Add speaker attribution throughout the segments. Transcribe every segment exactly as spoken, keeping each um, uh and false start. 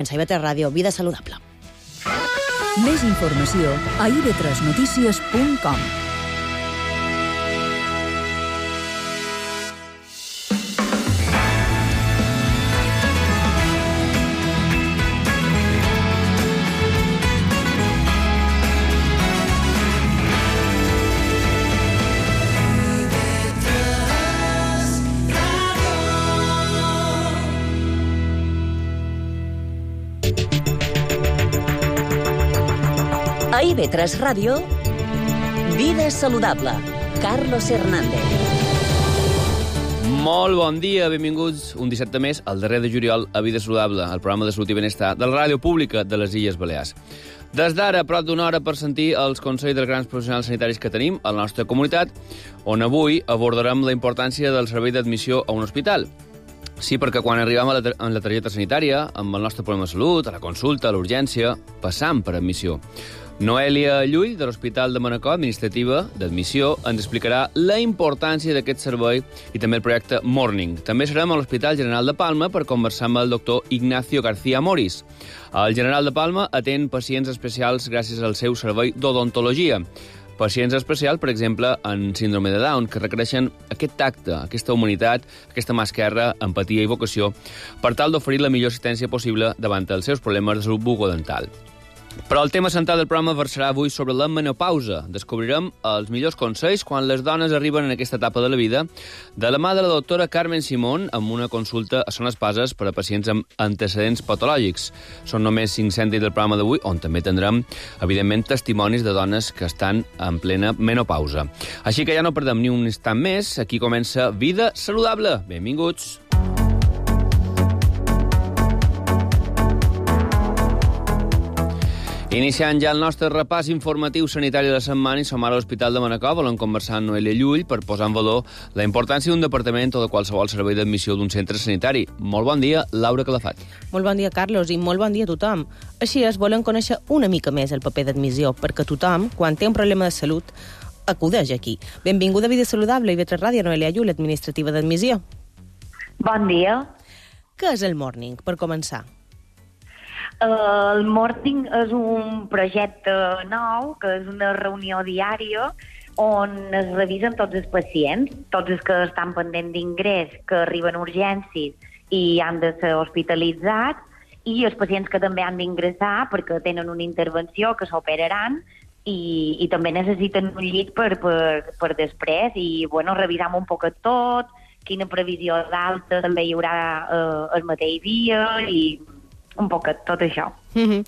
Speaker 1: En I V tres Ràdio, Vida Saludable.
Speaker 2: Més informació a i ve tres notícies punt com.
Speaker 3: A i ve tres Ràdio, Vida Saludable, Carlos Hernández.
Speaker 4: Molt bon dia, benvinguts un dissabte més, al darrer de juliol, a Vida Saludable, el programa de salut i benestar de la ràdio pública de les Illes Balears. Des d'ara, prop d'una hora per sentir els consells dels grans professionals sanitaris que tenim a la nostra comunitat, on avui abordarem la importància del servei d'admissió a un hospital. Sí, perquè quan arribem a la, en la targeta sanitària, amb el nostre problema de salut, a la consulta, a l'urgència, passam per admissió. Noelia Llull, de l'Hospital de Manacor, administrativa d'admissió, ens explicarà la importància d'aquest servei i també el projecte Morning. També serem a l'Hospital General de Palma per conversar amb el doctor Ignacio García Moris. El General de Palma atén pacients especials gràcies al seu servei d'odontologia. Pacients especials, per exemple, en síndrome de Down, que requereixen aquest tacte, aquesta humanitat, aquesta mà esquerra, empatia i vocació, per tal d'oferir la millor assistència possible davant els seus problemes de salut bucodental. Però el tema central del programa versarà avui sobre la menopausa. Descobrirem els millors consells quan les dones arriben en aquesta etapa de la vida, de la mà de la doctora Carmen Simón, amb una consulta a Son Espases per a pacients amb antecedents patològics. Són només cinc cèntims del programa d'avui, on també tindrem, evidentment, testimonis de dones que estan en plena menopausa. Així que ja no perdem ni un instant més. Aquí comença Vida Saludable. Benvinguts. Iniciant ja el nostre repàs informatiu sanitari de la setmana, i som ara a l'Hospital de Manacor, volem conversar amb Noelia Llull per posar en valor la importància d'un departament o de qualsevol servei d'admissió d'un centre sanitari. Molt bon dia, Laura Calafat.
Speaker 1: Molt bon dia, Carlos, i molt bon dia a tothom. Així és, volem conèixer una mica més el paper d'admissió, perquè tothom, quan té un problema de salut, acudeix aquí. Benvinguda a Vida Saludable i I ve tres Ràdio, Noelia Llull, administrativa d'admissió.
Speaker 5: Bon dia.
Speaker 1: Què és el Morning, per començar?
Speaker 5: Uh, el Morning és un projecte nou, que és una reunió diària on es revisen tots els pacients, tots els que estan pendents d'ingrés, que arriben a urgències i han de ser hospitalitzats, i els pacients que també han d'ingressar perquè tenen una intervenció, que s'operaran, i, i també necessiten un llit per, per, per després, i bueno, revisam un poc tot, quina previsió d'alta també hi haurà uh, el mateix dia, i un poc tot això.
Speaker 1: Uh -huh.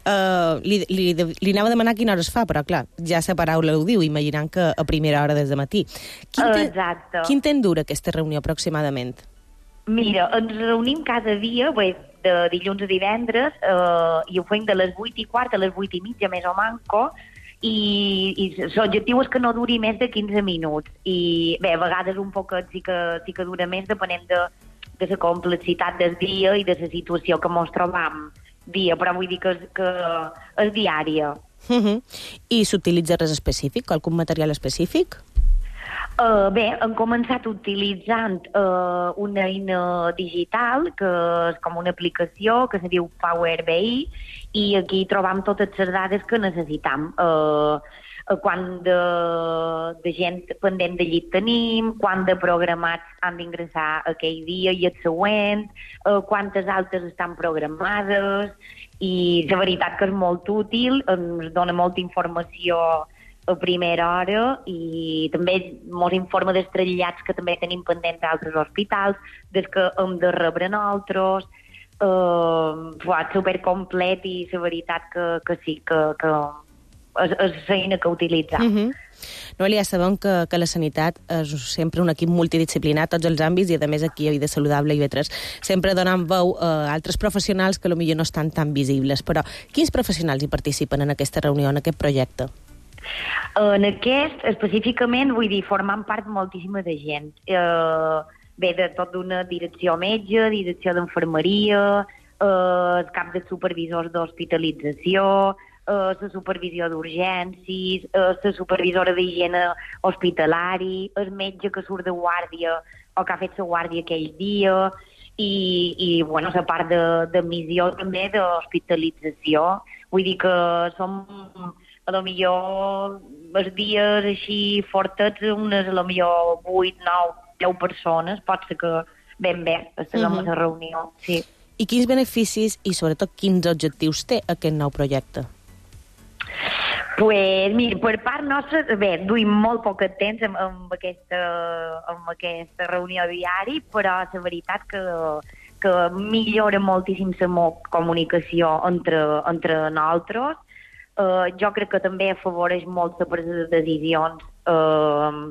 Speaker 1: uh, li, li, li anava a demanar quina hora es fa, però clar, ja la paraula ho diu, imaginant que a primera hora des de matí. Quin, te,
Speaker 5: Exacte.
Speaker 1: Quin temps dura aquesta reunió aproximadament?
Speaker 5: Mira, ens reunim cada dia, bé, de dilluns a divendres, eh, i ho fem de les vuit i quart a les vuit i mitja, més o manco, i, i l'objectiu és que no duri més de quinze minuts. I bé, a vegades un poquet sí que, sí que dura més, depenent de de la complexitat del dia i de la situació que ens trobam dia, però vull dir que, que és diària.
Speaker 1: Uh -huh. I s'utilitza res específic, algun material específic?
Speaker 5: Uh, bé, hem començat utilitzant uh, una eina digital, que és com una aplicació que se diu Power B I, i aquí trobam totes les dades que necessitam. Uh, quant de, de gent pendent de llit tenim, quant de programats han d'ingressar aquell dia i el següent, eh, quantes altes estan programades, i la veritat que és molt útil, ens dona molta informació a primera hora, i també ens informa dels trasllats que també tenim pendents d'altres hospitals, des que hem de rebre nosaltres, eh, supercomplet, i la veritat que, que sí, que... que és la feina que utilitza. Uh
Speaker 1: -huh. Noelia, sabem que, que la sanitat és sempre un equip multidisciplinar a tots els àmbits, i a més aquí a Vida Saludable i I ve tres sempre donant veu a altres professionals que potser no estan tan visibles. Però quins professionals hi participen en aquesta reunió, en aquest projecte?
Speaker 5: En aquest, específicament, vull dir, formant part moltíssima de gent. Eh, ve de tot d'una direcció metge, direcció d'infermeria, eh, el cap de supervisors d'hospitalització, Uh, la supervisió d'urgències, uh, la supervisora d'higiene hospitalari, el metge que surt de guàrdia o que ha fet la guàrdia aquell dia, i, i bueno, la part d'admissió també, d'hospitalització. Vull dir que som, a lo millor, els dies així fortets, unes a lo millor vuit, nou, deu persones, pot ser que ben bé, estem en la reunió, sí.
Speaker 1: I quins beneficis i, sobretot, quins objectius té aquest nou projecte?
Speaker 5: Pues, mira, per part nostra, bé, duim molt poc temps amb, amb, aquesta, amb aquesta reunió diari, però la veritat que, que millora moltíssim la comunicació entre, entre nosaltres. Uh, jo crec que també afavoreix molt la presa de decisions, uh,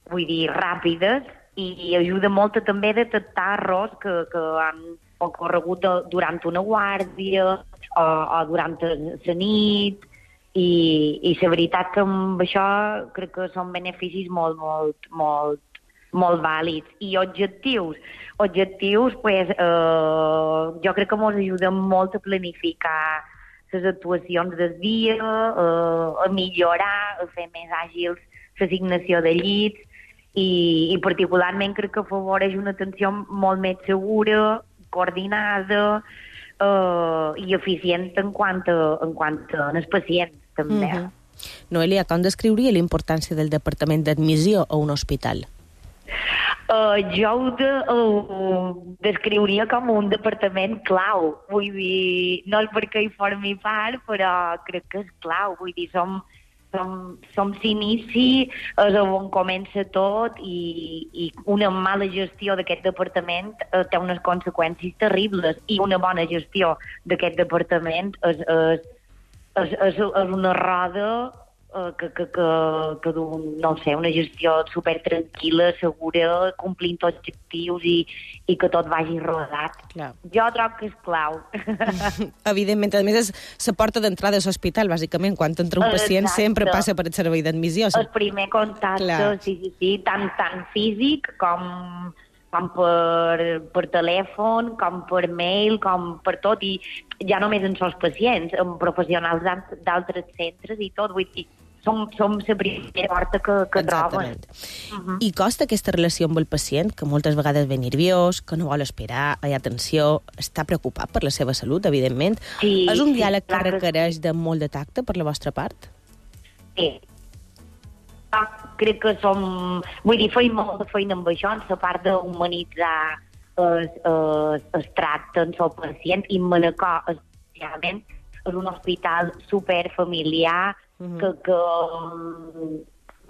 Speaker 5: vull dir, ràpides, i ajuda molt a també a detectar errors que, que han ocorregut durant una guàrdia o, o durant la nit, i, i la veritat que amb això crec que són beneficis molt, molt, molt, molt vàlids. I objectius? Objectius, pues, eh, jo crec que ens ajuden molt a planificar les actuacions del dia, eh, a millorar, a fer més àgils l'assignació de llits, i, i particularment crec que afavoreix una atenció molt més segura, coordinada eh, i eficient en quant a, en quant a els pacients, també.
Speaker 1: Mm-hmm. Noelia, com descriuria la importància del departament d'admissió a un hospital?
Speaker 5: Uh, jo ho, de, uh, descriuria com un departament clau. Vull dir, no és perquè hi formi part, però crec que és clau. Vull dir, som, som, som s'inici, és on comença tot, i, i una mala gestió d'aquest departament uh, té unes conseqüències terribles, i una bona gestió d'aquest departament és, és, és, és, és una roda uh, que, que, que, que no sé, una gestió super tranquil·la, segura, complint tots objectius, i, i que tot vagi rodat.
Speaker 1: Clar.
Speaker 5: Jo trobo que és clau.
Speaker 1: Evidentment, a més és la porta d'entrada a l'hospital, bàsicament, quan entra un pacient. Exacte. Sempre passa per el servei d'admissió.
Speaker 5: El primer contacte, clar. sí, sí, sí, tant, tant físic com... com per, per telèfon, com per mail, com per tot, i ja només en els pacients, amb professionals d'altres centres i tot, vull dir, som, som la primera porta que, que troben. Uh-huh.
Speaker 1: I costa aquesta relació amb el pacient, que moltes vegades ve nerviós, que no vol esperar, hi ha tensió, està preocupat per la seva salut, evidentment.
Speaker 5: Sí,
Speaker 1: és un diàleg
Speaker 5: sí,
Speaker 1: que requereix de molt de tacte per la vostra part?
Speaker 5: Sí. Crec que som... Vull dir, feim molt de feina amb això, en la part d'humanitzar el, el, el tracte en el pacient, i Manacor, especialment, és un hospital superfamiliar, uh-huh. que, que,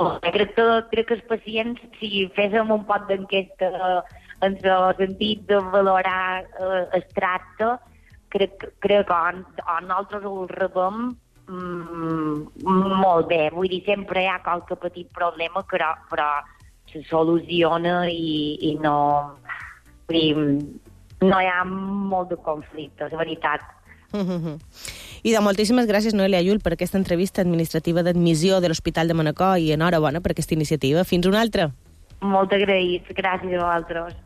Speaker 5: que, crec que crec que els pacients, si féssim un pot d'enquesta en el sentit de valorar eh, el tracte, crec, crec que on, on nosaltres el rebem Mm, molt bé. Vull dir, sempre hi ha qualque petit problema, però, però se soluciona, i, i no, vull dir, no hi ha molt de conflicte, és veritat.
Speaker 1: Mm-hmm. I de moltíssimes gràcies, Noelia Llull, per aquesta entrevista administrativa d'admissió de l'Hospital de Manacor, i enhorabona per aquesta iniciativa. Fins una altra.
Speaker 5: Molt agraït. Gràcies a vosaltres.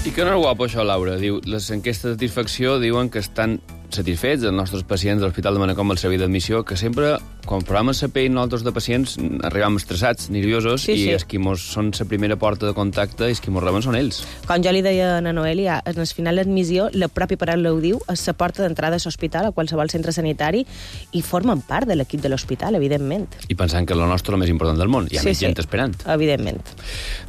Speaker 4: I que no és guapo això, Laura. Diu, les enquestes de satisfacció diuen que estan satisfets els nostres pacients de l'Hospital de Manacor amb el servei d'admissió, que sempre, quan provem el P I nosaltres de pacients, arribem estressats, nerviosos, sí, i sí. els qui mos són la primera porta de contacte i els qui mos reben són ells.
Speaker 1: Com jo li deia a Noelia, en el final d'admissió, la pròpia paraula ho diu, és la porta d'entrada a l'hospital, a qualsevol centre sanitari, i formen part de l'equip de l'hospital, evidentment.
Speaker 4: I pensant que la nostra és la més important del món. Hi ha sí, més sí. gent esperant.
Speaker 1: Evidentment.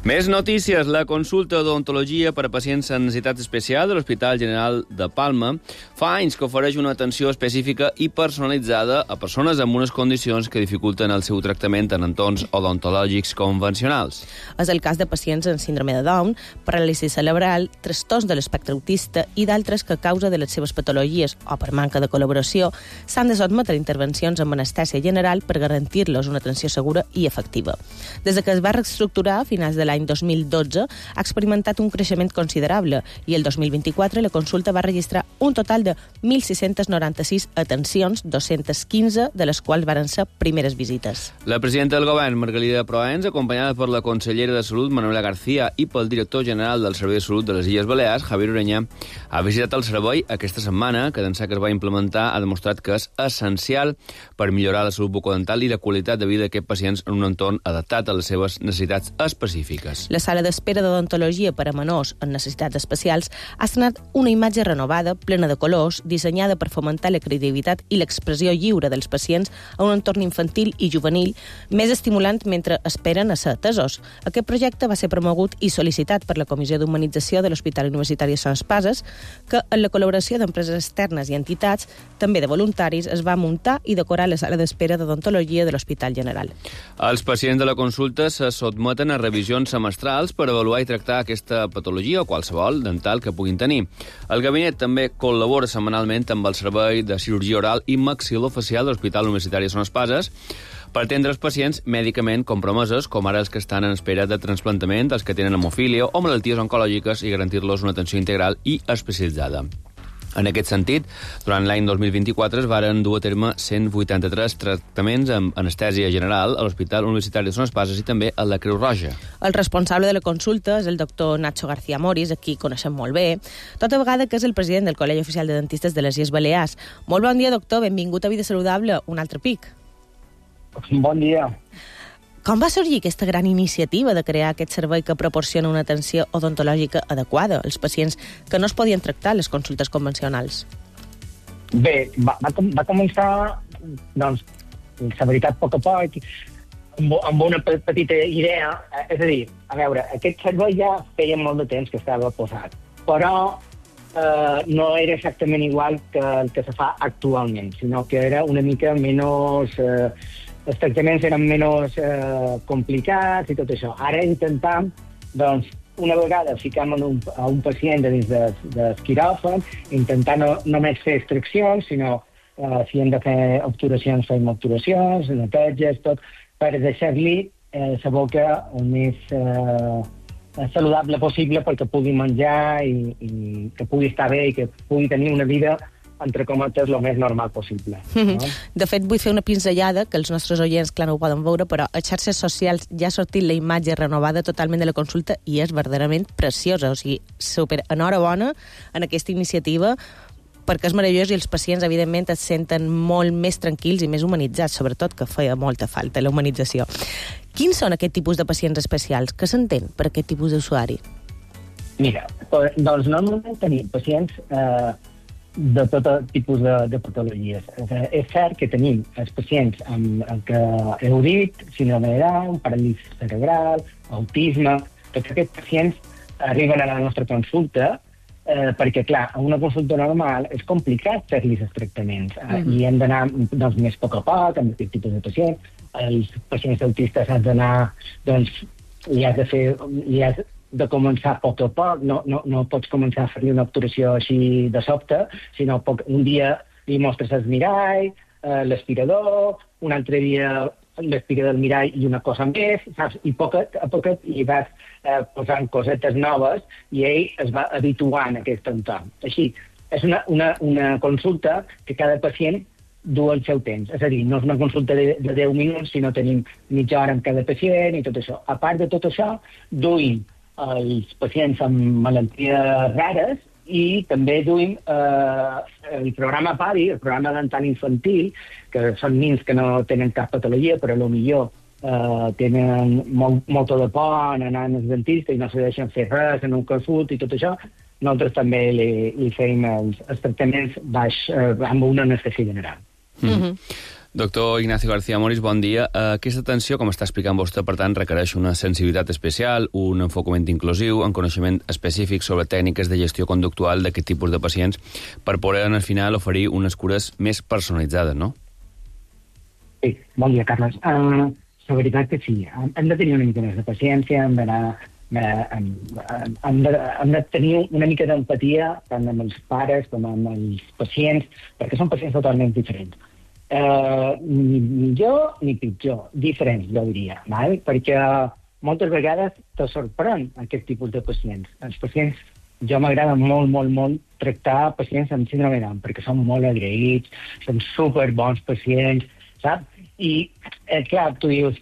Speaker 4: Més notícies. La consulta d'odontologia per a pacients amb necessitats especials de l'Hospital General de Palma fa anys que ofereix una atenció específica i personalitzada a persones amb unes condicions que dificulten el seu tractament en entorns odontològics convencionals.
Speaker 1: És el cas de pacients amb síndrome de Down, paràlisi cerebral, trastorns de l'espectre autista i d'altres que, a causa de les seves patologies o per manca de col·laboració, s'han de sotmetre a intervencions amb anestèsia general per garantir-los una atenció segura i efectiva. Des de que es va reestructurar a finals de l'any dos mil dotze, ha experimentat un creixement considerable, i el dos mil vint-i-quatre la consulta va registrar un total de mil sis-cents noranta-sis atencions, dos-cents quinze de les quals van varen ser primeres visites.
Speaker 4: La presidenta del govern, Margalida Proens, acompanyada per la consellera de Salut, Manuela García, i pel director general del Servei de Salut de les Illes Balears, Javier Oranyà, ha visitat el servei aquesta setmana, que d'ençà que es va implementar ha demostrat que és essencial per millorar la salut bucodental i la qualitat de vida d'aquests pacients en un entorn adaptat a les seves necessitats específiques.
Speaker 1: La sala d'espera d'odontologia per a menors amb necessitats especials ha estrenat una imatge renovada, plena de colors, dissenyada per fomentar la creativitat i l'expressió lliure dels pacients a un entorn infantil i juvenil més estimulant mentre esperen a ser atesos. Aquest projecte va ser promogut i sol·licitat per la Comissió d'Humanització de l'Hospital Universitari de Sant Espases, que, en la col·laboració d'empreses externes i entitats, també de voluntaris, es va muntar i decorar la sala d'espera d'odontologia de l'Hospital General.
Speaker 4: Els pacients de la consulta se sotmeten a revisions semestrals per avaluar i tractar aquesta patologia o qualsevol dental que puguin tenir. El gabinet també col·labora setmanalment amb el Servei de Cirurgia Oral i Maxilofacial de l'Hospital Universitari de Sant Espases per atendre els pacients mèdicament compromesos, com ara els que estan en espera de trasplantament, els que tenen hemofília o malalties oncològiques, i garantir-los una atenció integral i especialitzada. En aquest sentit, durant l'any dos mil vint-i-quatre es varen dur a terme cent vuitanta-tres tractaments amb anestèsia general a l'Hospital Universitari de Sant Espases i també a la Creu Roja.
Speaker 1: El responsable de la consulta és el doctor Nacho García Moris, a qui coneixem molt bé, tota vegada que és el president del Col·legi Oficial de Dentistes de les Illes Balears. Molt bon dia, doctor. Benvingut a Vida Saludable, un altre pic.
Speaker 6: Bon dia.
Speaker 1: Com va sorgir aquesta gran iniciativa de crear aquest servei que proporciona una atenció odontològica adequada als pacients que no es podien tractar a les consultes convencionals?
Speaker 6: Bé, va, va, va començar, doncs, la veritat, a poc a poc, amb, amb una petita idea. És a dir, a veure, aquest servei ja feia molt de temps que estava posat, però eh, no era exactament igual que el que se fa actualment, sinó que era una mica menys... Eh, els tractaments eren menys eh, complicats i tot això. Ara intentem, doncs, una vegada fiquem un, a un pacient dins del de, quiròfan, intentar no només fer extraccions, sinó eh, si hem de fer obturacions, fem obturacions, neteges, tot, per deixar-li eh, la boca el més eh, saludable possible perquè pugui menjar i, i que pugui estar bé i que pugui tenir una vida entre cometes, el més normal possible. No?
Speaker 1: De fet, vull fer una pinzellada, que els nostres oients, clar, no ho poden veure, però a xarxes socials ja ha sortit la imatge renovada totalment de la consulta i és verdaderament preciosa. O sigui, super enhorabona en aquesta iniciativa, perquè és meravellós i els pacients, evidentment, es senten molt més tranquils i més humanitzats, sobretot que feia molta falta la humanització. Quins són aquest tipus de pacients especials? Què s'entén per aquest tipus d'usuari?
Speaker 6: Mira, doncs normalment tenim pacients... Eh, de tot tipus de, de patologies. Eh, és cert que tenim els pacients amb el que heu dit, síndrome de Down, paràlisi cerebral, autisme. Tots aquests pacients arriben a la nostra consulta eh, perquè, clar, a una consulta normal és complicat fer-los els tractaments eh, mm-hmm. i hem d'anar doncs, més a poc a poc amb aquest tipus de pacients. Els pacients autistes has d'anar, doncs, i has de fer... I has de començar a poc a poc, no, no, no pots començar a fer una obturació així de sobte, sinó poc, un dia li mostres el mirall, eh, l'aspirador, un altre dia l'aspirador del mirall i una cosa més, saps? I poquet a poquet hi vas eh, posant cosetes noves i ell es va habituant a aquest entorn. Així, és una, una, una consulta que cada pacient du el seu temps. És a dir, no és una consulta de, de deu minuts, sinó tenim mitja hora amb cada pacient i tot això. A part de tot això, duim els pacients amb malalties rares i també duim eh, el programa PADI, el programa dental infantil, que són nins que no tenen cap patologia, però potser eh, tenen molt, molta de por en anar al dentista i no se deixen fer res en un consult i tot això. Nosaltres també li, li fem els, els tractaments baix, eh, amb una anestèsia general.
Speaker 4: Mm-hmm. Doctor Ignacio García Moris, bon dia. Aquesta atenció, com està explicant vostè, per tant, requereix una sensibilitat especial, un enfocament inclusiu, un coneixement específic sobre tècniques de gestió conductual d'aquest tipus de pacients per poder, al final, oferir unes cures més personalitzades, no?
Speaker 6: Sí, bon dia, Carles. Uh, la veritat que sí. Hem de tenir una mica més de paciència, hem d'anar... Hem, hem, de, hem de tenir una mica d'empatia tant amb els pares com amb els pacients, perquè són pacients totalment diferents. Uh, ni millor ni pitjor, diferents, jo diria, val? Perquè moltes vegades te sorprèn aquest tipus de pacients. Els pacients, jo m'agrada molt, molt, molt tractar pacients amb síndrome de Down, perquè són molt agraïts, són superbons pacients, saps? I, eh, clar, tu dius,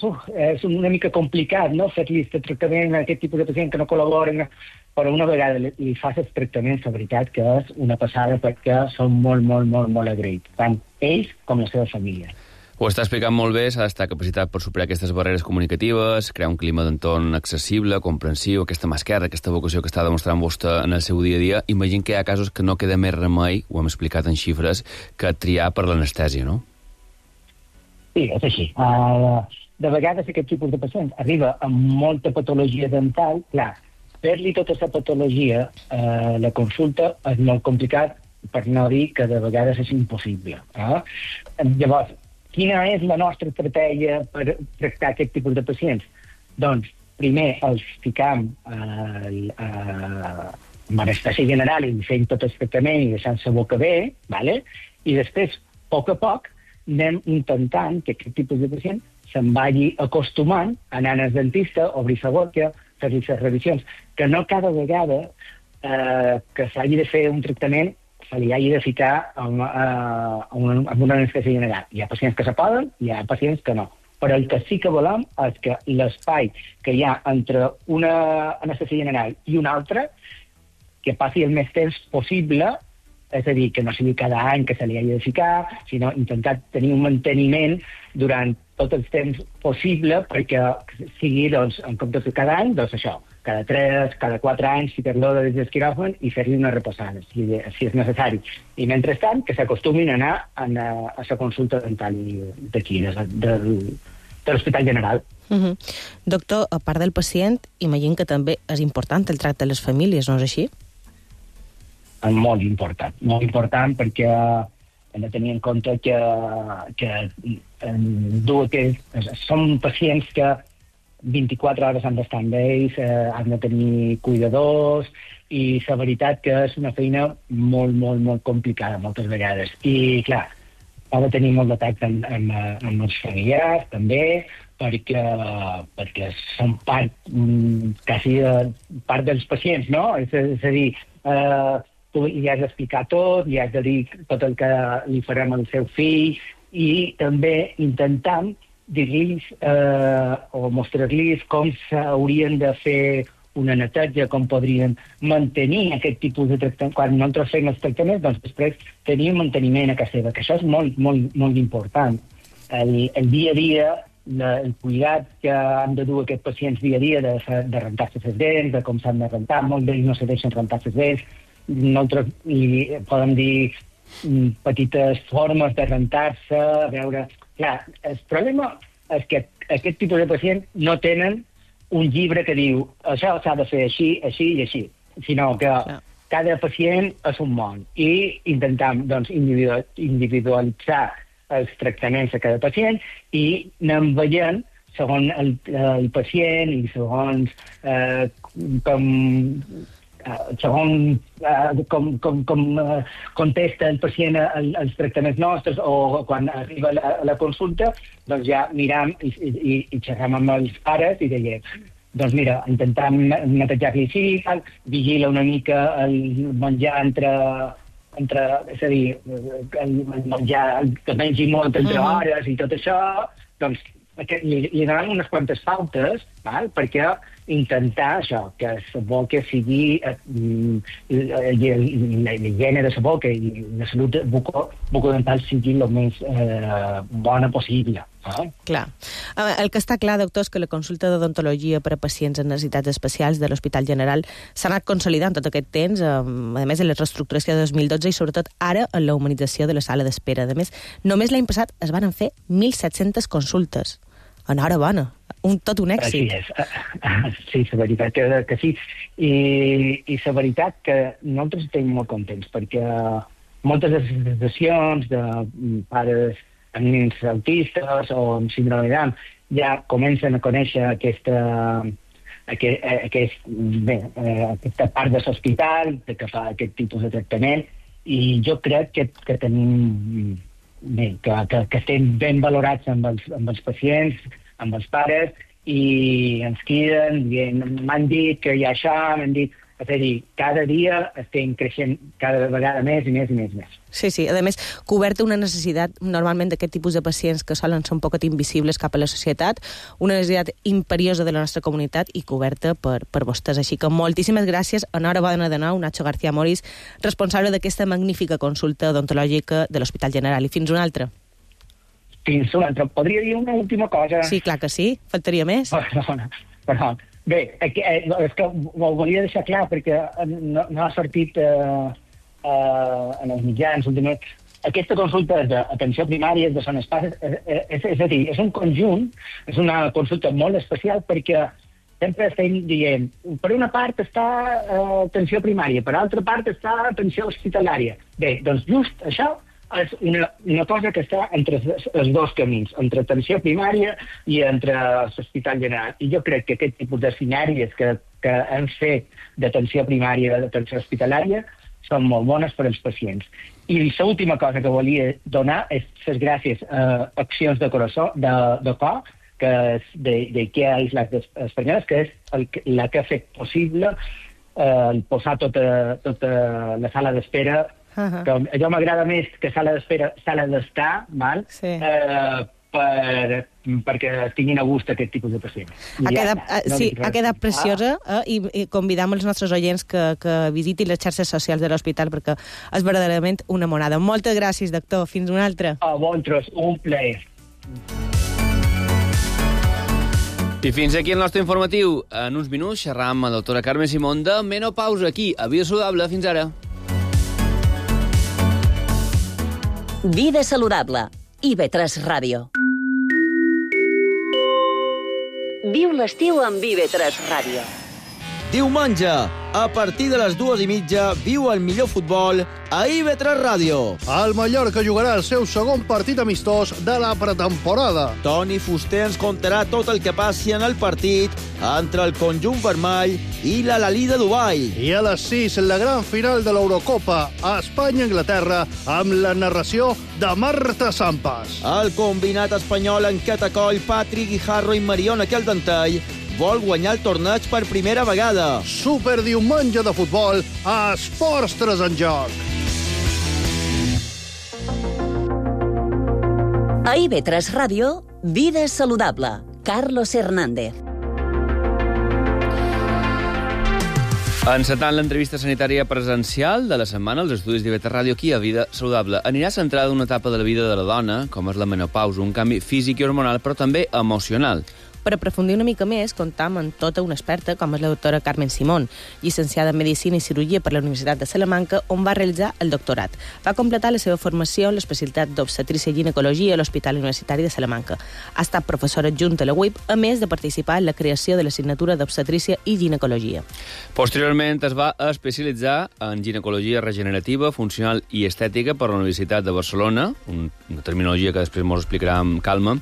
Speaker 6: uf, és una mica complicat, no?, fer-li aquest tractament a aquest tipus de pacient que no col·laboren, però una vegada li, li fas els tractaments, la veritat que és una passada perquè són molt, molt, molt, molt agraïts, tant ells com la seva família.
Speaker 4: Ho està explicant molt bé, s'ha d'estar capacitat per superar aquestes barreres comunicatives, crear un clima d'entorn accessible, comprensiu, aquesta mà esquerra, aquesta vocació que està demostrant vostè en el seu dia a dia. Imagino que hi ha casos que no queda més remei, ho hem explicat en xifres, que triar per l'anestèsia, no?
Speaker 6: Sí, és així. Uh, de vegades aquest tipus de pacients arriba amb molta patologia dental. Clar, fer-li tota aquesta patologia, uh, la consulta és molt complicat, per no dir que de vegades és impossible. Uh? Llavors, quina és la nostra estratègia per tractar aquest tipus de pacients? Doncs, primer els ficam uh, uh, amb anestèsia general i fent tot el tractament i deixant-se boca bé, vale? I després, a poc a poc, anem intentant que aquest tipus de pacient se'n vagi acostumant a anar al dentista, obrir la boca, fer-li les revisions, que no cada vegada eh, que s'hagi de fer un tractament se li hagi de ficar amb, eh, amb, una, amb una anestèsia general. Hi ha pacients que se poden, hi ha pacients que no. Però el que sí que volem és que l'espai que hi ha entre una anestèsia general i una altra, que passi el més temps possible, és a dir, que no sigui cada any que se li hagi de ficar, sinó intentar tenir un manteniment durant tot el temps possible perquè sigui, doncs, en comptes de cada any, doncs això, cada tres, cada quatre anys, ficar-lo des del quiròfan i fer-li una repassada, si, si és necessari. I, mentrestant, que s'acostumin a anar a, a la consulta dental d'aquí, de, de, de l'Hospital General.
Speaker 1: Uh-huh. Doctor, a part del pacient, imagino que també és important el tracte de les famílies, no és així?
Speaker 6: És molt important, molt important perquè hem de tenir en compte que, que eh, que són pacients que vint-i-quatre hores han d'estar amb ells, eh, han de tenir cuidadors, i la veritat que és una feina molt, molt, molt complicada moltes vegades. I, clar, ha de tenir molt de tacte amb, amb, amb els familiars, també, perquè, perquè són part, quasi part dels pacients, no? És, és a dir, eh, tu li has d'explicar tot, li has de dir tot el que li farem al seu fill, i també intentant dir-los eh, o mostrar-los com s'haurien de fer una neteja, com podrien mantenir aquest tipus de tractament. Quan nosaltres fem els tractaments, doncs després tenir manteniment a casa seva, que això és molt, molt, molt important. El, el dia a dia, la, el cuidat que han de dur aquests pacients dia a dia, de, de rentar-se les dents, de com s'han de rentar, molts d'ells no se deixen rentar les dents, nosaltres li podem dir petites formes de rentar-se, a veure... Clar, el problema és que aquest tipus de pacients no tenen un llibre que diu això s'ha de fer així, així i així, sinó que Clar. cada pacient és un món i intentem, doncs, individualitzar els tractaments de cada pacient i anem veient segons el, el pacient i segons eh, com... Uh, segons uh, com, com, com uh, contesta el pacient als tractaments nostres o quan arriba la, la consulta, doncs ja miram i, i, i xerram amb els pares i dèiem, doncs mira, intentem netejar-li així, vigila una mica el menjar entre, entre és a dir, el menjar que mengi molt entre uh-huh. hores i tot això, doncs que li, li donem unes quantes pautes, val? Perquè intentar això, que la boca sigui eh, la higiene de la boca i la salut buco, bucodental sigui el més eh, bona possible. Eh?
Speaker 1: Clar. El que està clar, doctor, és que la consulta d'odontologia per a pacients amb necessitats especials de l'Hospital General s'ha anat consolidant tot aquest temps, a més de la reestructuració de dos mil dotze i sobretot ara en la humanització de la sala d'espera. A més, només l'any passat es van fer mil set-centes consultes. Enhorabona, un, tot un èxit.
Speaker 6: Sí, la veritat que, que sí. I, i la veritat que nosaltres estem molt contents, perquè moltes de les associacions de pares amb nens autistes o amb síndrome de Down ja comencen a conèixer aquesta, aquest, aquest, bé, aquesta part de l'hospital que fa aquest tipus de tractament, i jo crec que, que tenim... Bé, que, que, que estem ben valorats amb els, amb els pacients, amb els pares, i ens criden, m'han dit que hi ha això, m'han dit És a dir, cada dia estem creixent cada vegada més i més i més i més.
Speaker 1: Sí, sí. A més, coberta una necessitat, normalment d'aquest tipus de pacients que solen ser un poc invisibles cap a la societat, una necessitat imperiosa de la nostra comunitat i coberta per, per vostès. Així que moltíssimes gràcies. Enhorabona de nou, Nacho García Moris, responsable d'aquesta magnífica consulta odontològica de l'Hospital General. I fins una altra.
Speaker 6: Fins una altra. Podria dir una última cosa?
Speaker 1: Sí, clar que sí. Faltaria més.
Speaker 6: Perdona, perdona. Bé, és que ho volia deixar clar perquè no, no ha sortit eh, eh, en els mitjans últimament. Aquesta consulta d'atenció primària de zones passes, és, és, és a dir, és un conjunt, és una consulta molt especial perquè sempre estem dient, per una part està eh, atenció primària, per altra part està atenció hospitalària. Bé, doncs just això és una, una cosa que està entre els dos camins, entre atenció primària i entre l'Hospital General. I jo crec que aquest tipus de sinergies que, que hem fet d'atenció primària i d'atenció hospitalària són molt bones per als pacients. I l'última cosa que volia donar és les gràcies a Accions de Corazó, de, de cor, que és d'IKEA Islas Espanyoles, que és el, la que ha fet possible eh, posar tota, tota la sala d'espera. Uh-huh. Que allò m'agrada més que sala d'espera, sala d'estar, val? Sí. Eh, per, perquè tinguin a gust aquest tipus de pacients.
Speaker 1: Ha quedat, ja, no sí, ha quedat preciosa eh? I, i convidam els nostres oients que, que visitin les xarxes socials de l'hospital perquè és verdaderament una monada. Moltes gràcies, doctor. Fins una altra.
Speaker 6: A vosaltres, un plaer.
Speaker 4: I fins aquí el nostre informatiu. En uns minuts xerram amb la doctora Carmen Simón de menopausa aquí, a Vida Saludable. Fins ara.
Speaker 3: Vida Saludable. I ve tres Ràdio. Viu l'estiu amb I ve tres Ràdio.
Speaker 7: Diumenge, a partir de les dues i mitja, viu el millor futbol a I ve tres Ràdio.
Speaker 8: El Mallorca jugarà el seu segon partit amistós de la pretemporada.
Speaker 7: Toni Fuster ens contarà tot el que passi en el partit entre el conjunt vermell i la Lalí de Dubai.
Speaker 8: I a les sis, la gran final de l'Eurocopa a Espanya-Anglaterra amb la narració de Marta Sampas.
Speaker 7: El combinat espanyol en catacoll Patrick Guijarro i Mariona Caldentall vol guanyar el torneig per primera vegada.
Speaker 8: Superdiumenge de futbol a Esports tres en Joc.
Speaker 3: A I ve tres Ràdio, Vida Saludable. Carlos Hernández.
Speaker 4: Encetant l'entrevista sanitària presencial de la setmana als estudis d'I ve tres Ràdio aquí a Vida Saludable. Anirà centrada en una etapa de la vida de la dona, com és la menopausa, un canvi físic i hormonal, però també emocional.
Speaker 1: Per aprofundir una mica més, comptam amb tota una experta, com és la doctora Carmen Simón, llicenciada en Medicina i Cirurgia per la Universitat de Salamanca, on va realitzar el doctorat. Va completar la seva formació en l'especialitat d'obstetrícia i ginecologia a l'Hospital Universitari de Salamanca. Ha estat professora adjunta a la U I P, a més de participar en la creació de l'assignatura d'obstetrícia i ginecologia.
Speaker 4: Posteriorment es va especialitzar en ginecologia regenerativa, funcional i estètica per la Universitat de Barcelona, una terminologia que després ens explicarà amb calma,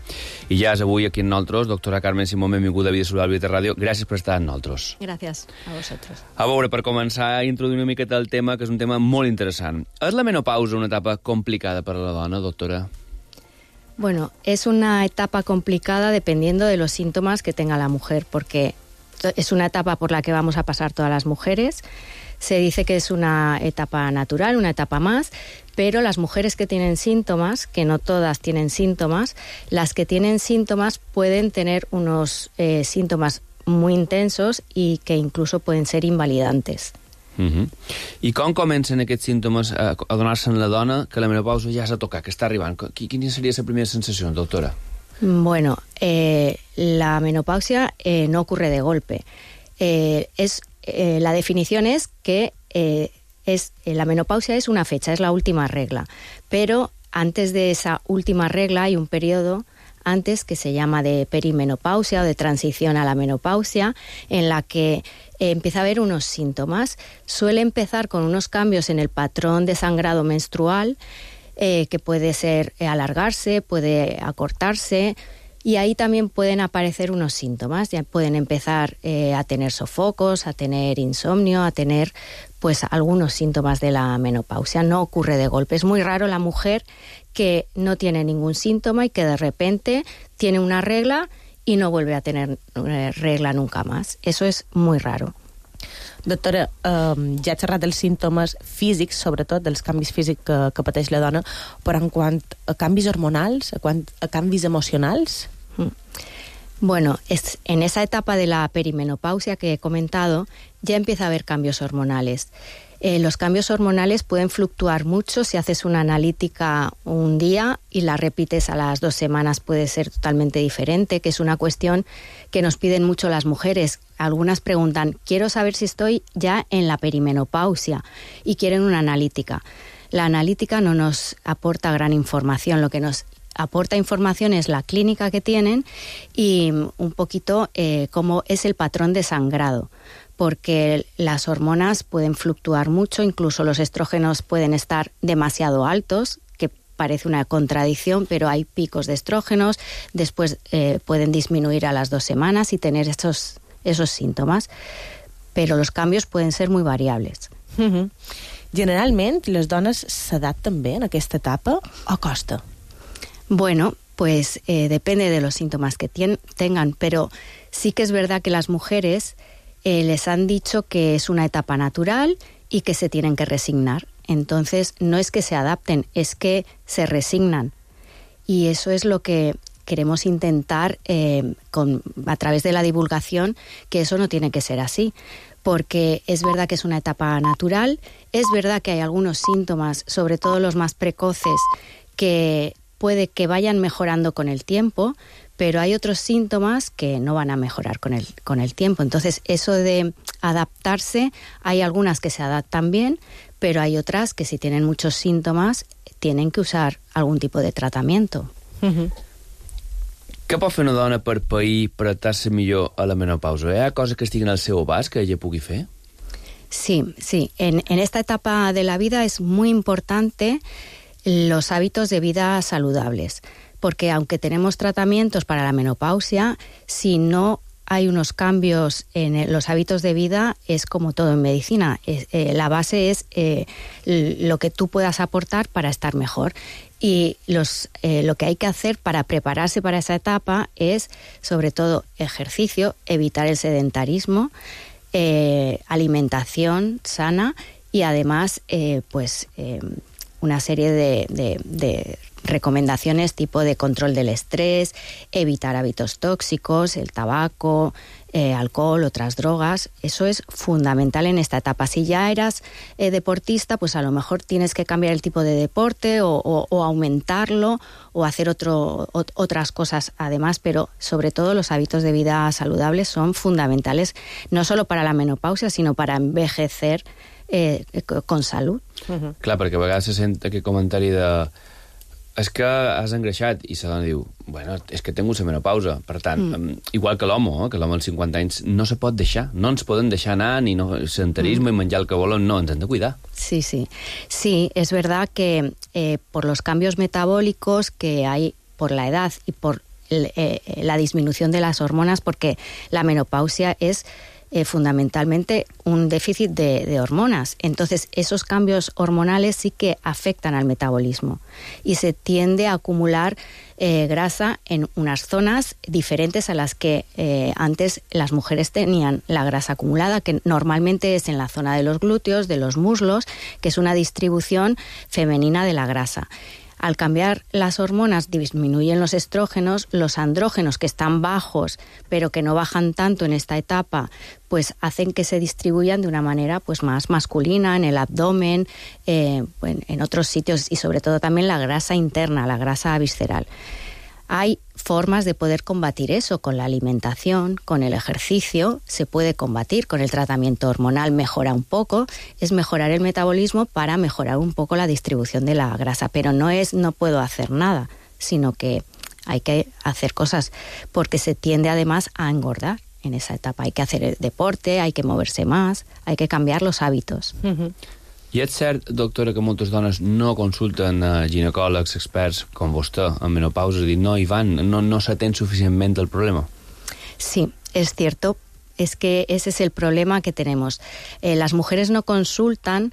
Speaker 4: i ja és avui aquí amb nosaltres, doctora Carmen Simón, benvinguda a Vida Saludable i Ràdio. Gràcies per estar amb nosaltres.
Speaker 9: Gràcies a vosaltres.
Speaker 4: A veure, per començar a introduir una miqueta el tema, que és un tema molt interessant. És la menopausa una etapa complicada per a la dona, doctora?
Speaker 9: Bueno, es una etapa complicada dependiendo de los síntomas que tenga la mujer, porque es una etapa por la que vamos a pasar todas las mujeres. Se dice que es una etapa natural, una etapa más, pero las mujeres que tienen síntomas, que no todas tienen síntomas, las que tienen síntomas pueden tener unos eh, síntomas muy intensos y que incluso pueden ser invalidantes.
Speaker 4: Uh-huh. I com comencen aquests símptomes a, a donar-se en la dona que la menopausa ja s'ha tocat, que està arribant? Quina seria la primera sensació, doctora?
Speaker 9: Bueno, eh, la menopausia eh, no ocurre de golpe. Eh, es Eh, la definición es que eh, es, eh, la menopausia es una fecha, es la última regla. Pero antes de esa última regla hay un periodo antes que se llama de perimenopausia o de transición a la menopausia, en la que eh, empieza a haber unos síntomas. Suele empezar con unos cambios en el patrón de sangrado menstrual, eh, que puede ser eh, alargarse, puede acortarse. Y ahí también pueden aparecer unos síntomas, ya pueden empezar eh, a tener sofocos, a tener insomnio, a tener pues algunos síntomas de la menopausia. No ocurre de golpe. Es muy raro la mujer que no tiene ningún síntoma y que de repente tiene una regla y no vuelve a tener regla nunca más. Eso es muy raro.
Speaker 1: Doctora, eh, ja ha xerrat dels símptomes físics, sobretot dels canvis físics que, que pateix la dona, però en quant a canvis hormonals, a, quant a canvis emocionals...
Speaker 9: Mm. Bueno, es, en esa etapa de la perimenopausia que he comentado, ya empieza a haber cambios hormonales. Eh, los cambios hormonales pueden fluctuar mucho. Si haces una analítica un día y la repites a las dos semanas puede ser totalmente diferente, que es una cuestión que nos piden mucho las mujeres. Algunas preguntan, quiero saber si estoy ya en la perimenopausia y quieren una analítica. La analítica no nos aporta gran información, lo que nos aporta información es la clínica que tienen y un poquito eh, cómo es el patrón de sangrado, porque las hormonas pueden fluctuar mucho, incluso los estrógenos pueden estar demasiado altos, que parece una contradicción, pero hay picos de estrógenos, después eh, pueden disminuir a las dos semanas y tener esos, esos síntomas, pero los cambios pueden ser muy variables.
Speaker 1: Uh-huh. Generalment, les dones s'adapten bé en aquesta etapa o costa?
Speaker 9: Bueno, pues eh, depende de los síntomas que tien- tengan, pero sí que es verdad que las mujeres eh, les han dicho que es una etapa natural y que se tienen que resignar. Entonces, no es que se adapten, es que se resignan. Y eso es lo que queremos intentar eh, con, a través de la divulgación, que eso no tiene que ser así. Porque es verdad que es una etapa natural, es verdad que hay algunos síntomas, sobre todo los más precoces, que puede que vayan mejorando con el tiempo, pero hay otros síntomas que no van a mejorar con el, con el tiempo. Entonces, eso de adaptarse, hay algunas que se adaptan bien, pero hay otras que si tienen muchos síntomas tienen que usar algún tipo de tratamiento.
Speaker 1: Uh-huh.
Speaker 4: Què pot fer una dona per pair, per adaptar-se millor a la menopausa? Hi ha coses que estiguin al seu abast que ella pugui fer?
Speaker 9: Sí, sí. En, en esta etapa de la vida es muy importante los hábitos de vida saludables, porque aunque tenemos tratamientos para la menopausia, si no hay unos cambios en los hábitos de vida, es como todo en medicina. Es, eh, la base es eh, lo que tú puedas aportar para estar mejor. Y los, eh, lo que hay que hacer para prepararse para esa etapa es, sobre todo, ejercicio, evitar el sedentarismo, eh, alimentación sana y además, eh, pues... Eh, una serie de, de, de recomendaciones tipo de control del estrés, evitar hábitos tóxicos, el tabaco, eh, alcohol, otras drogas. Eso es fundamental en esta etapa. Si ya eras eh, deportista, pues a lo mejor tienes que cambiar el tipo de deporte o, o, o aumentarlo o hacer otro, o, otras cosas además, pero sobre todo los hábitos de vida saludables son fundamentales, no solo para la menopausia, sino para envejecer Eh, con salut.
Speaker 4: Uh-huh. Clar, perquè a vegades se sent aquest comentari de és que has engreixat, i la dona diu, bueno, és que tinc una menopausa. Per tant, mm. igual que l'home, eh, que l'home als cinquanta anys no se pot deixar, no ens poden deixar anar ni no, sedentarisme mm. i menjar el que volen, no, ens hem de cuidar.
Speaker 9: Sí, sí. Sí, es verdad que eh, por los cambios metabólicos que hay por la edad y por el, eh, la disminución de las hormonas, porque la menopausia es Eh, fundamentalmente un déficit de, de hormonas. Entonces, esos cambios hormonales sí que afectan al metabolismo y se tiende a acumular eh, grasa en unas zonas diferentes a las que eh, antes las mujeres tenían la grasa acumulada, que normalmente es en la zona de los glúteos, de los muslos, que es una distribución femenina de la grasa. Al cambiar las hormonas disminuyen los estrógenos, los andrógenos que están bajos pero que no bajan tanto en esta etapa, pues hacen que se distribuyan de una manera pues más masculina en el abdomen, eh, en, en otros sitios y sobre todo también la grasa interna, la grasa visceral. Hay formas de poder combatir eso con la alimentación, con el ejercicio, se puede combatir, con el tratamiento hormonal mejora un poco, es mejorar el metabolismo para mejorar un poco la distribución de la grasa, pero no es no puedo hacer nada, sino que hay que hacer cosas porque se tiende además a engordar en esa etapa. Hay que hacer deporte, hay que moverse más, hay que cambiar los hábitos.
Speaker 1: Uh-huh.
Speaker 4: I és cert, doctora, que moltes dones no consulten a ginecòlegs, experts com vostè, en menopausa, és a dir, no hi van, no, no s'atén suficientment el problema?
Speaker 9: Sí, es cierto. Es que ese es el problema que tenemos. Eh, las mujeres no consultan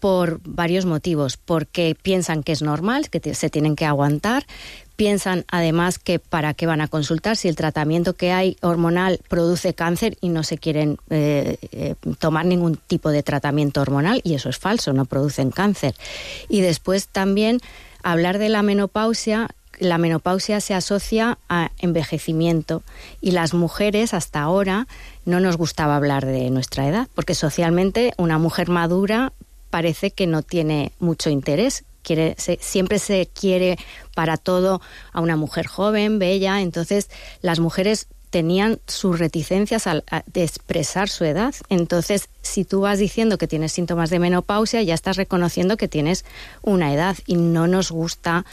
Speaker 9: por varios motivos, porque piensan que es normal, que te, se tienen que aguantar, Piensan además que para qué van a consultar si el tratamiento que hay hormonal produce cáncer y no se quieren eh, eh, tomar ningún tipo de tratamiento hormonal, y eso es falso, no producen cáncer. Y después también hablar de la menopausia. La menopausia se asocia a envejecimiento y las mujeres hasta ahora no nos gustaba hablar de nuestra edad, porque socialmente una mujer madura parece que no tiene mucho interés. Quiere, se, siempre se quiere para todo a una mujer joven, bella. Entonces las mujeres tenían sus reticencias a, a, de expresar su edad. Entonces, si tú vas diciendo que tienes síntomas de menopausia, ya estás reconociendo que tienes una edad, y no nos gusta,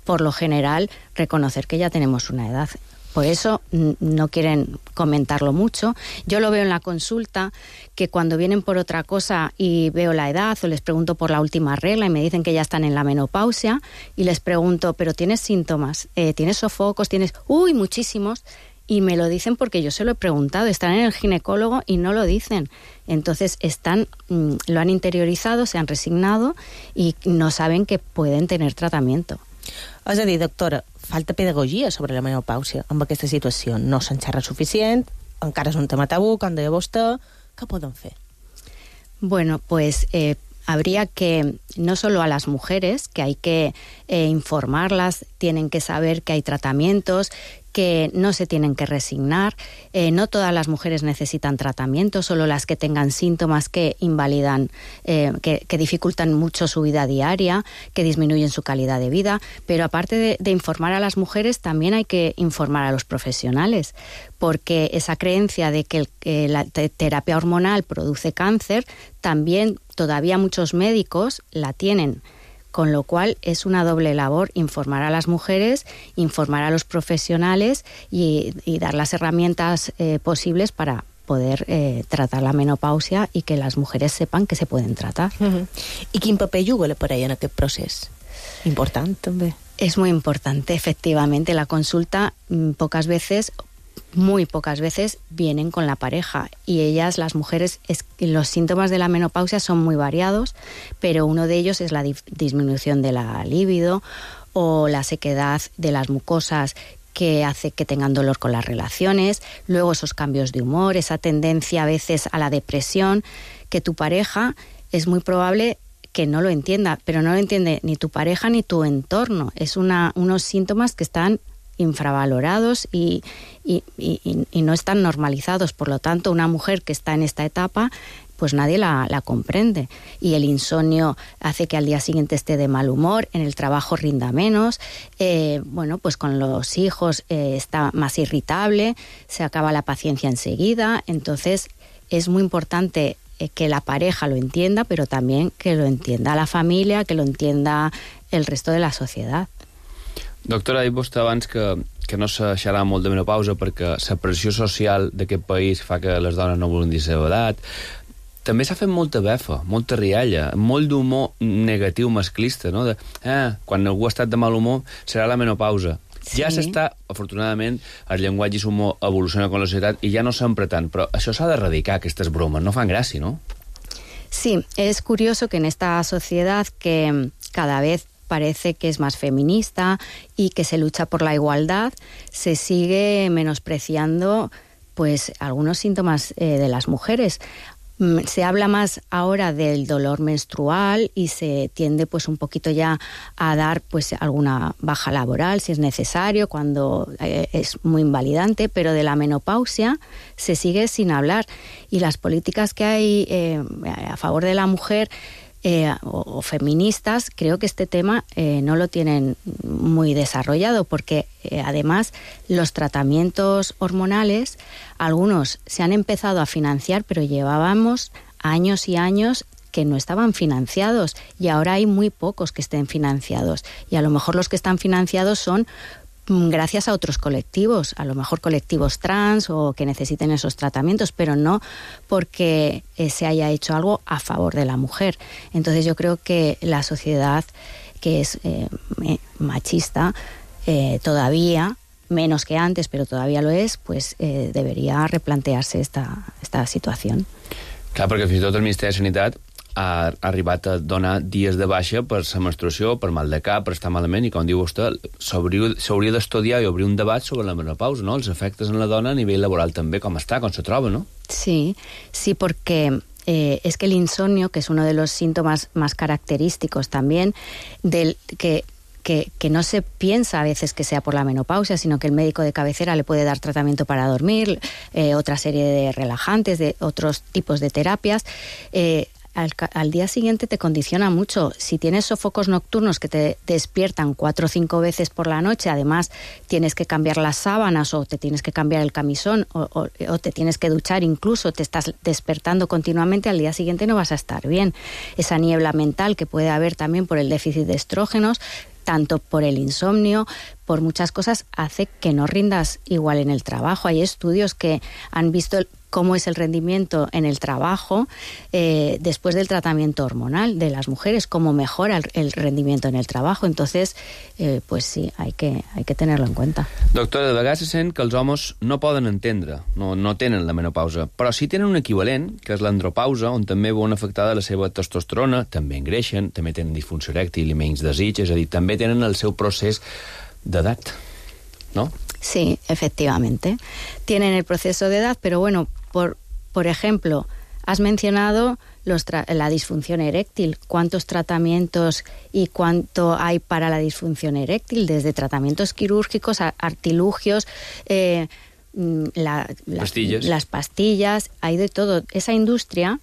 Speaker 9: por lo general, reconocer que ya tenemos una edad. Por eso no quieren comentarlo mucho. Yo lo veo en la consulta, que cuando vienen por otra cosa y veo la edad, o les pregunto por la última regla y me dicen que ya están en la menopausia, y les pregunto, ¿pero tienes síntomas? Eh, ¿Tienes sofocos? ¿Tienes...? ¡Uy, muchísimos! Y me lo dicen porque yo se lo he preguntado. Están en el ginecólogo y no lo dicen. Entonces están, lo han interiorizado, se han resignado y no saben que pueden tener tratamiento.
Speaker 1: És a dir, doctora, falta pedagogia sobre la menopàusia amb aquesta situació. No se'n xerra suficient, encara és un tema tabú, com deia vostè. ¿Qué pueden hacer?
Speaker 9: Bueno, pues eh, habría que, no solo a las mujeres, que hay que eh, informarlas, tienen que saber que hay tratamientos, que no se tienen que resignar. Eh, no todas las mujeres necesitan tratamiento, solo las que tengan síntomas que invalidan, eh, que, que dificultan mucho su vida diaria, que disminuyen su calidad de vida. Pero aparte de, de informar a las mujeres, también hay que informar a los profesionales, porque esa creencia de que el, eh, la te- terapia hormonal produce cáncer, también todavía muchos médicos la tienen. Con lo cual es una doble labor informar a las mujeres, informar a los profesionales y, y dar las herramientas eh, posibles para poder eh, tratar la menopausia y que las mujeres sepan que se pueden tratar.
Speaker 1: Uh-huh. I quin paper juga la parella en aquest procés? Important, també.
Speaker 9: Es muy importante, efectivamente. La consulta mm, pocas veces... muy pocas veces vienen con la pareja, y ellas, las mujeres, es, los síntomas de la menopausia son muy variados, pero uno de ellos es la di- disminución de la libido o la sequedad de las mucosas, que hace que tengan dolor con las relaciones, luego esos cambios de humor, esa tendencia a veces a la depresión, que tu pareja es muy probable que no lo entienda, pero no lo entiende ni tu pareja ni tu entorno. Es una, unos síntomas que están infravalorados y, y, y, y no están normalizados. Por lo tanto, una mujer que está en esta etapa, pues nadie la, la comprende. Y el insomnio hace que al día siguiente esté de mal humor, en el trabajo rinda menos, eh, bueno, pues con los hijos eh, está más irritable, se acaba la paciencia enseguida. Entonces, es muy importante eh, que la pareja lo entienda, pero también que lo entienda la familia, que lo entienda el resto de la sociedad.
Speaker 4: Doctora, ha dit vostè abans que, que no se xerrava molt de menopausa perquè la pressió social d'aquest país fa que les dones no vulguin dir la seva edat. També s'ha fet molta befa, molta rialla, molt d'humor negatiu masclista, no? De, eh, quan algú ha estat de mal humor serà la menopausa. Sí. Ja s'està, afortunadament, el llenguatge i l'humor evoluciona con la societat i ja no sempre tant, però això s'ha d'erradicar, aquestes bromes, no fan gràcia, no?
Speaker 9: Sí, es curioso que en esta sociedad que cada vez parece que es más feminista y que se lucha por la igualdad, se sigue menospreciando pues algunos síntomas eh, de las mujeres. Se habla más ahora del dolor menstrual y se tiende pues un poquito ya a dar pues alguna baja laboral si es necesario, cuando eh, es muy invalidante, pero de la menopausia se sigue sin hablar. Y las políticas que hay eh, a favor de la mujer Eh, o, o feministas, creo que este tema eh, no lo tienen muy desarrollado, porque eh, además los tratamientos hormonales, algunos se han empezado a financiar, pero llevábamos años y años que no estaban financiados, y ahora hay muy pocos que estén financiados, y a lo mejor los que están financiados son gracias a otros colectivos, a lo mejor colectivos trans o que necesiten esos tratamientos, pero no porque eh, se haya hecho algo a favor de la mujer. Entonces yo creo que la sociedad, que es eh, machista, eh, todavía, menos que antes, pero todavía lo es, pues eh, debería replantearse esta, esta situación.
Speaker 4: Clar, perquè fins i tot el Ministeri de Sanitat ha arribat a donar dies de baixa per la menstruació, per mal de cap, per estar malament, i com diu vostè, s'hauria d'estudiar i obrir un debat sobre la menopausa, ¿no? Els efectes en la dona a nivell laboral també, com està, com se troba, ¿no?
Speaker 9: Sí, sí, porque eh, es que el insomnio, que es uno de los síntomas más característicos también, del que... Que, que no se piensa a veces que sea por la menopausia, sino que el médico de cabecera le puede dar tratamiento para dormir, eh, otra serie de relajantes, de otros tipos de terapias. Eh, al, al día siguiente te condiciona mucho. Si tienes sofocos nocturnos que te despiertan cuatro o cinco veces por la noche, además tienes que cambiar las sábanas o te tienes que cambiar el camisón o, o, o te tienes que duchar, incluso te estás despertando continuamente, al día siguiente no vas a estar bien. Esa niebla mental que puede haber también por el déficit de estrógenos, tanto por el insomnio, por muchas cosas, hace que no rindas igual en el trabajo. Hay estudios que han visto cómo es el rendimiento en el trabajo eh, después del tratamiento hormonal de las mujeres, cómo mejora el, el rendimiento en el trabajo. Entonces, eh, pues sí, hay que, hay que tenerlo en cuenta.
Speaker 4: Doctora, de vegades se sent que els homes no poden entendre, no, no tenen la menopausa, però sí tenen un equivalent, que és l'andropausa, on també veuen afectada la seva testosterona, també engreixen, també tenen disfunció erèctil i menys desig, és a dir, també tenen el seu procés d'edat, ¿no?
Speaker 9: Sí, efectivamente. Tienen el proceso de edad, pero bueno, por, por ejemplo, has mencionado los la disfunción eréctil. ¿Cuántos tratamientos y cuánto hay para la disfunción eréctil? Desde tratamientos quirúrgicos, a artilugios, eh, la, las,
Speaker 4: pastillas.
Speaker 9: las pastillas, hay de todo. Esa industria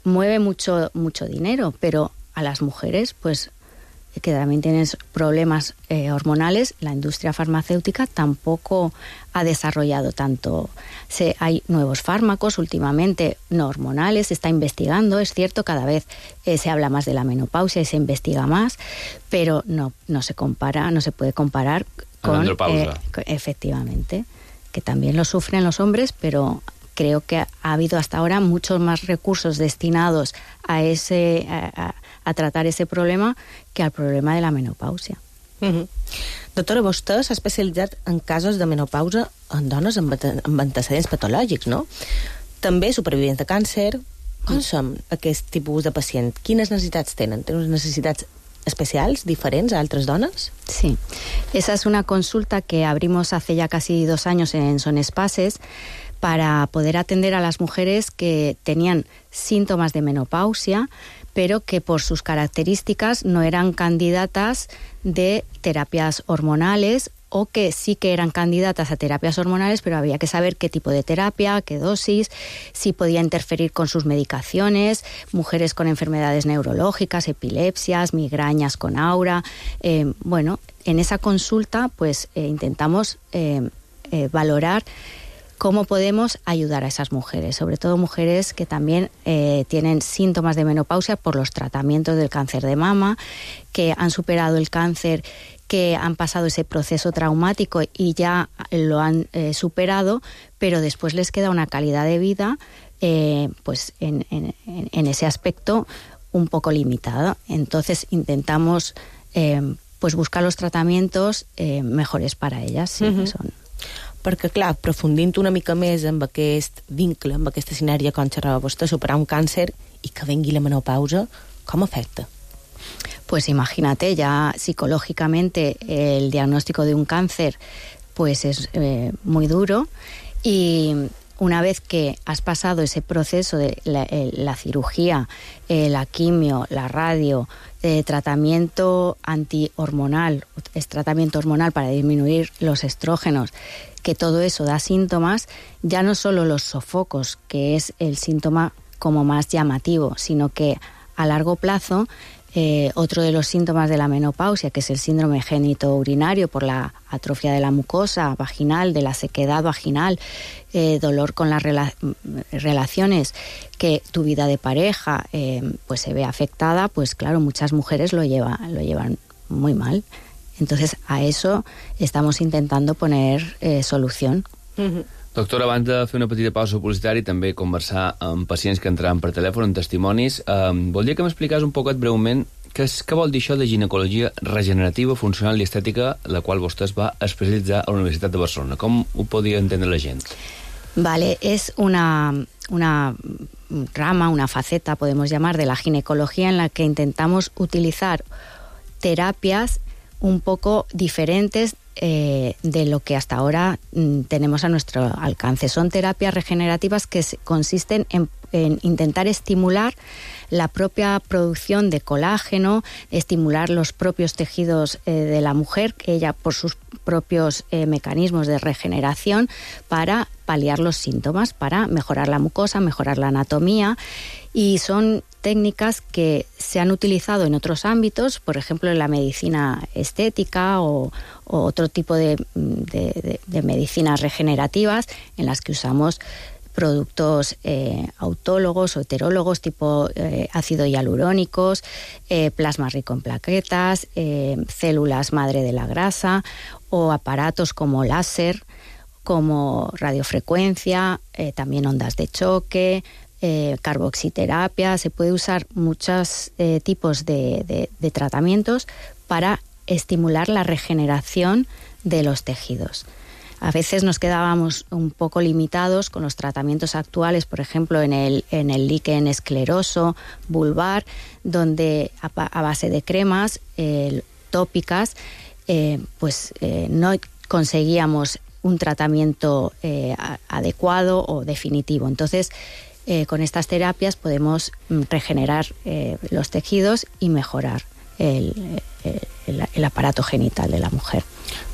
Speaker 9: mueve mucho, mucho dinero, pero a las mujeres, pues, que también tienen problemas eh, hormonales, la industria farmacéutica tampoco ha desarrollado tanto. Se, hay nuevos fármacos últimamente no hormonales, se está investigando, es cierto, cada vez eh, se habla más de la menopausia y se investiga más, pero no, no se compara, no se puede comparar con, eh, con efectivamente, que también lo sufren los hombres, pero creo que ha habido hasta ahora muchos más recursos destinados a ese a, a tratar ese problema que al problema de la menopausia.
Speaker 1: Mm-hmm. Doctora, vostè s'ha especialitzat en casos de menopausa en dones amb, amb antecedents patològics, no? També supervivents de càncer. Com són aquest tipus de pacient? Quines necessitats tenen? Tenen unes necessitats especials, diferents a altres dones?
Speaker 9: Sí, esa es una consulta que abrimos hace ya casi dos años en Son Espaces para poder atender a las mujeres que tenían síntomas de menopausia, pero que por sus características no eran candidatas de terapias hormonales o que sí que eran candidatas a terapias hormonales, pero había que saber qué tipo de terapia, qué dosis, si podía interferir con sus medicaciones, mujeres con enfermedades neurológicas, epilepsias, migrañas con aura. Eh, bueno, en esa consulta pues eh, intentamos eh, eh, valorar cómo podemos ayudar a esas mujeres, sobre todo mujeres que también eh, tienen síntomas de menopausia por los tratamientos del cáncer de mama, que han superado el cáncer, que han pasado ese proceso traumático y ya lo han eh, superado, pero después les queda una calidad de vida eh, pues en, en, en ese aspecto un poco limitada. Entonces intentamos eh, pues buscar los tratamientos eh, mejores para ellas, sí, uh-huh. que son...
Speaker 1: Perquè, clar, aprofundint una mica més amb aquest vincle, amb aquesta sinergia com xerrava vostè, superar un càncer i que vengui la menopausa, com afecta?
Speaker 9: Pues imagínate, ya psicológicamente el diagnóstico de un cáncer pues es eh, muy duro, y una vez que has pasado ese proceso de la, eh, la cirugía, eh, la quimio, la radio, eh, tratamiento antihormonal, es tratamiento hormonal para disminuir los estrógenos, que todo eso da síntomas, ya no solo los sofocos, que es el síntoma como más llamativo, sino que a largo plazo eh, otro de los síntomas de la menopausia, que es el síndrome génito-urinario por la atrofia de la mucosa vaginal, de la sequedad vaginal, eh, dolor con las rela- relaciones, que tu vida de pareja eh, pues se ve afectada, pues claro, muchas mujeres lo llevan, lo llevan muy mal. Entonces, a eso estamos intentando poner eh, solución.
Speaker 1: Mm-hmm.
Speaker 4: Doctora, abans de fer una petita pausa publicitària i també conversar amb pacients que entraran per telèfon, en testimonis, eh, voldria que m'expliqués un poquet breument què, és, què vol dir això de ginecologia regenerativa, funcional i estètica, la qual vostè es va especialitzar a la Universitat de Barcelona. Com ho podia entendre la gent?
Speaker 9: Vale, es una, una rama, una faceta, podemos llamar, de la ginecología en la que intentamos utilizar terapias un poco diferentes eh, de lo que hasta ahora mm, tenemos a nuestro alcance. Son terapias regenerativas que se, consisten en, en intentar estimular la propia producción de colágeno, estimular los propios tejidos eh, de la mujer, ella por sus propios eh, mecanismos de regeneración, para paliar los síntomas, para mejorar la mucosa, mejorar la anatomía, y son técnicas que se han utilizado en otros ámbitos, por ejemplo en la medicina estética o, o otro tipo de, de, de, de medicinas regenerativas, en las que usamos productos eh, autólogos o heterólogos tipo eh, ácido hialurónicos, eh, plasma rico en plaquetas, eh, células madre de la grasa, o aparatos como láser, como radiofrecuencia, eh, también ondas de choque, eh, carboxiterapia. Se puede usar muchos eh, tipos de, de, de tratamientos para estimular la regeneración de los tejidos. A veces nos quedábamos un poco limitados con los tratamientos actuales, por ejemplo, en el, en el líquen escleroso vulvar, donde a, a base de cremas eh, tópicas, eh, pues eh, no conseguíamos un tratamiento eh, adecuado o definitivo. Entonces, eh, con estas terapias podemos regenerar eh, los tejidos y mejorar el, el, el aparato genital de la mujer.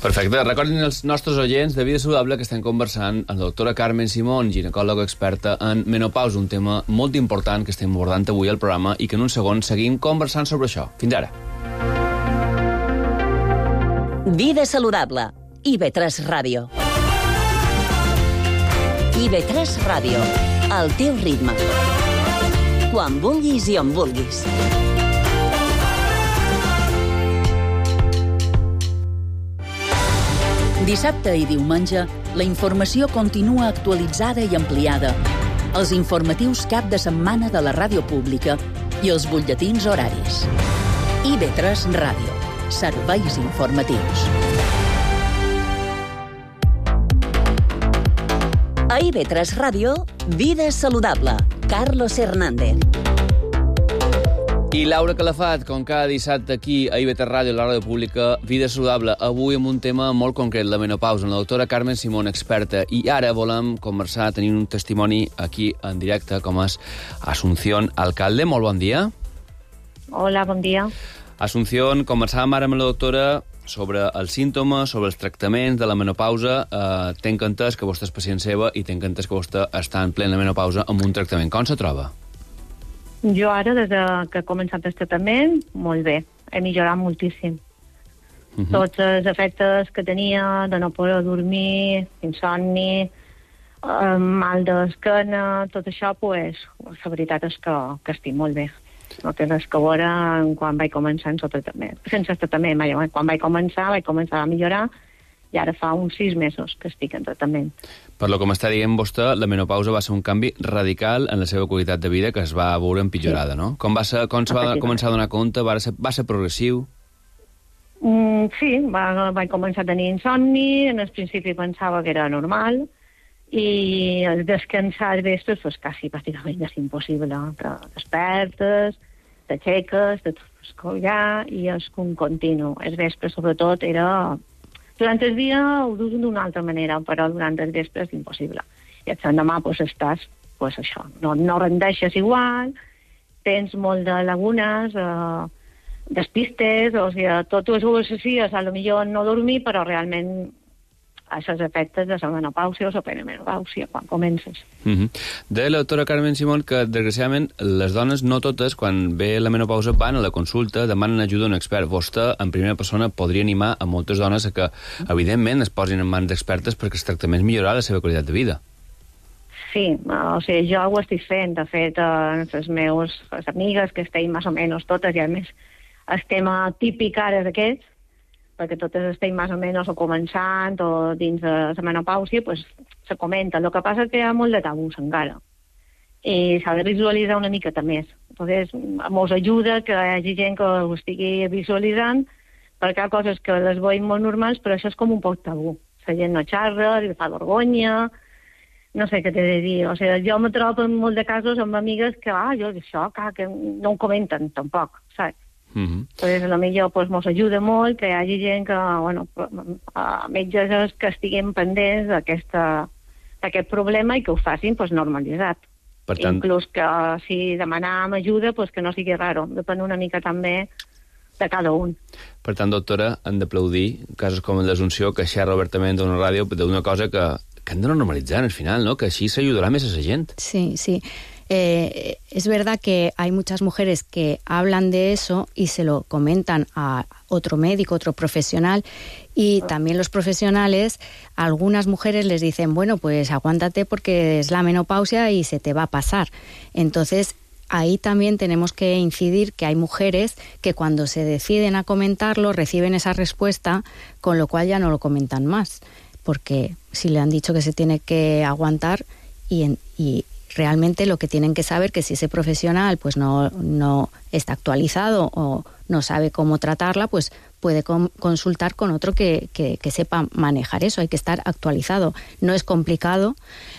Speaker 4: Perfecte. Recordin els nostres oients de Vida Saludable que estem conversant amb la doctora Carmen Simón, ginecòloga experta en menopausa, un tema molt important que estem abordant avui al programa i que en un segon seguim conversant sobre això. Fins ara.
Speaker 3: Vida Saludable. I V tres Ràdio. I V tres Ràdio. Al teu ritme. Quan vulguis i on vulguis.
Speaker 2: Dissabte i diumenge, la informació continua actualitzada i ampliada. Els informatius cap de setmana de la ràdio pública i els butlletins horaris. I V tres Ràdio. Serveis informatius.
Speaker 3: A I V tres Ràdio, Vida Saludable. Carlos Hernández.
Speaker 4: I Laura Calafat, com cada dissabte aquí a I V tres Ràdio, la ràdio pública, Vida Saludable, avui amb un tema molt concret, la menopausa, amb la doctora Carmen Simón, experta. I ara volem conversar, tenir un testimoni aquí en directe, com és Asunción Alcalde. Molt bon dia.
Speaker 5: Hola, bon dia.
Speaker 4: Asunción, conversàvem ara amb la doctora sobre els símptomes, sobre els tractaments de la menopausa. Eh, tenc entès que vostè és pacient seva i tenc entès que vostè està en plena menopausa amb un tractament. Com se troba?
Speaker 5: Jo ara, des que he començat el tractament, molt bé. He millorat moltíssim. Uh -huh. Tots els efectes que tenia de no poder dormir, insomni, eh, mal d'esquena, tot això, pues, la veritat és que, que estic molt bé. No té res que veure quan vaig començar en el tractament. Sense el tractament, quan vaig començar, vaig començar a millorar, i ara fa uns sis mesos que estic en tractament.
Speaker 4: Per lo que m'està dient vostè, la menopausa va ser un canvi radical en la seva qualitat de vida que es va veure empitjorada, sí. No? Com, va ser, com se va començar a donar compte? Va ser, va ser progressiu?
Speaker 5: Mm, sí, va, vaig començar a tenir insomni, en el principi pensava que era normal, i el descansar vespres, pues, quasi pràcticament és impossible. Te despertes, t'aixeques, te t'escollar, i és un continu. El vespre, sobretot, era... Durant el dia ho dus d'una altra manera, però durant el vespre és impossible. I el demà pues, estàs, pues, això, no, no rendeixes igual, tens molt de lagunes, eh, despistes, o sigui, tot ho associes a lo millor no dormir, però realment aquests efectes de la menopàusia o la perimenopàusia quan comences.
Speaker 4: Uh-huh. Deia la doctora Carmen Simón que, desgraciadament, les dones, no totes, quan ve la menopausa, van a la consulta, demanen ajuda a un expert. Vostè, en primera persona, podria animar a moltes dones a que, evidentment, es posin en mans d'expertes perquè els tractaments millorar la seva qualitat de vida.
Speaker 5: Sí, o sigui, jo ho estic fent. De fet, eh, les meves les amigues, que estem més o menys totes, i a més, el tema típic ara és aquest, perquè totes estem més o menys o començant o dins de la menopàusia, pues, se comenta. El que passa és que hi ha molt de tabús encara. I s'ha de visualitzar una miqueta més. Entonces, ens ajuda que hi hagi gent que ho estigui visualitzant, perquè hi ha coses que les veiem molt normals, però això és com un poc tabú. La gent no xarra, li fa vergonya,
Speaker 10: no sé què t'he de dir. O sigui, jo me trobo en molt de casos amb amigues que, ah, jo això, clar, que no ho comenten tampoc, saps? Mm-hmm. Pues, a lo millor pues, mos ajuda molt que hi hagi gent que, bueno, metges que estiguin pendents d'aquest problema i que ho facin pues, normalitzat. Per tant... Inclús que si demanàvem ajuda, pues, que no sigui raro. Depèn una mica també de cada un.
Speaker 4: Per tant, doctora, hem d'aplaudir casos com el d'Assumpció, que xerra obertament d'una ràdio d'una cosa que, que hem de normalitzar al final, ¿no? Que així s'ajudarà més a la gent.
Speaker 9: Sí, sí. Eh, es verdad que hay muchas mujeres que hablan de eso y se lo comentan a otro médico, otro profesional, y también los profesionales, a algunas mujeres les dicen, bueno, pues aguántate porque es la menopausia y se te va a pasar. Entonces, ahí también tenemos que incidir que hay mujeres que cuando se deciden a comentarlo reciben esa respuesta, con lo cual ya no lo comentan más, porque si le han dicho que se tiene que aguantar y... y realmente lo que tienen que saber que si ese profesional pues no, no está actualizado o no sabe cómo tratarla, pues puede com- consultar con otro que, que, que sepa manejar eso. Hay que estar actualizado. No es complicado.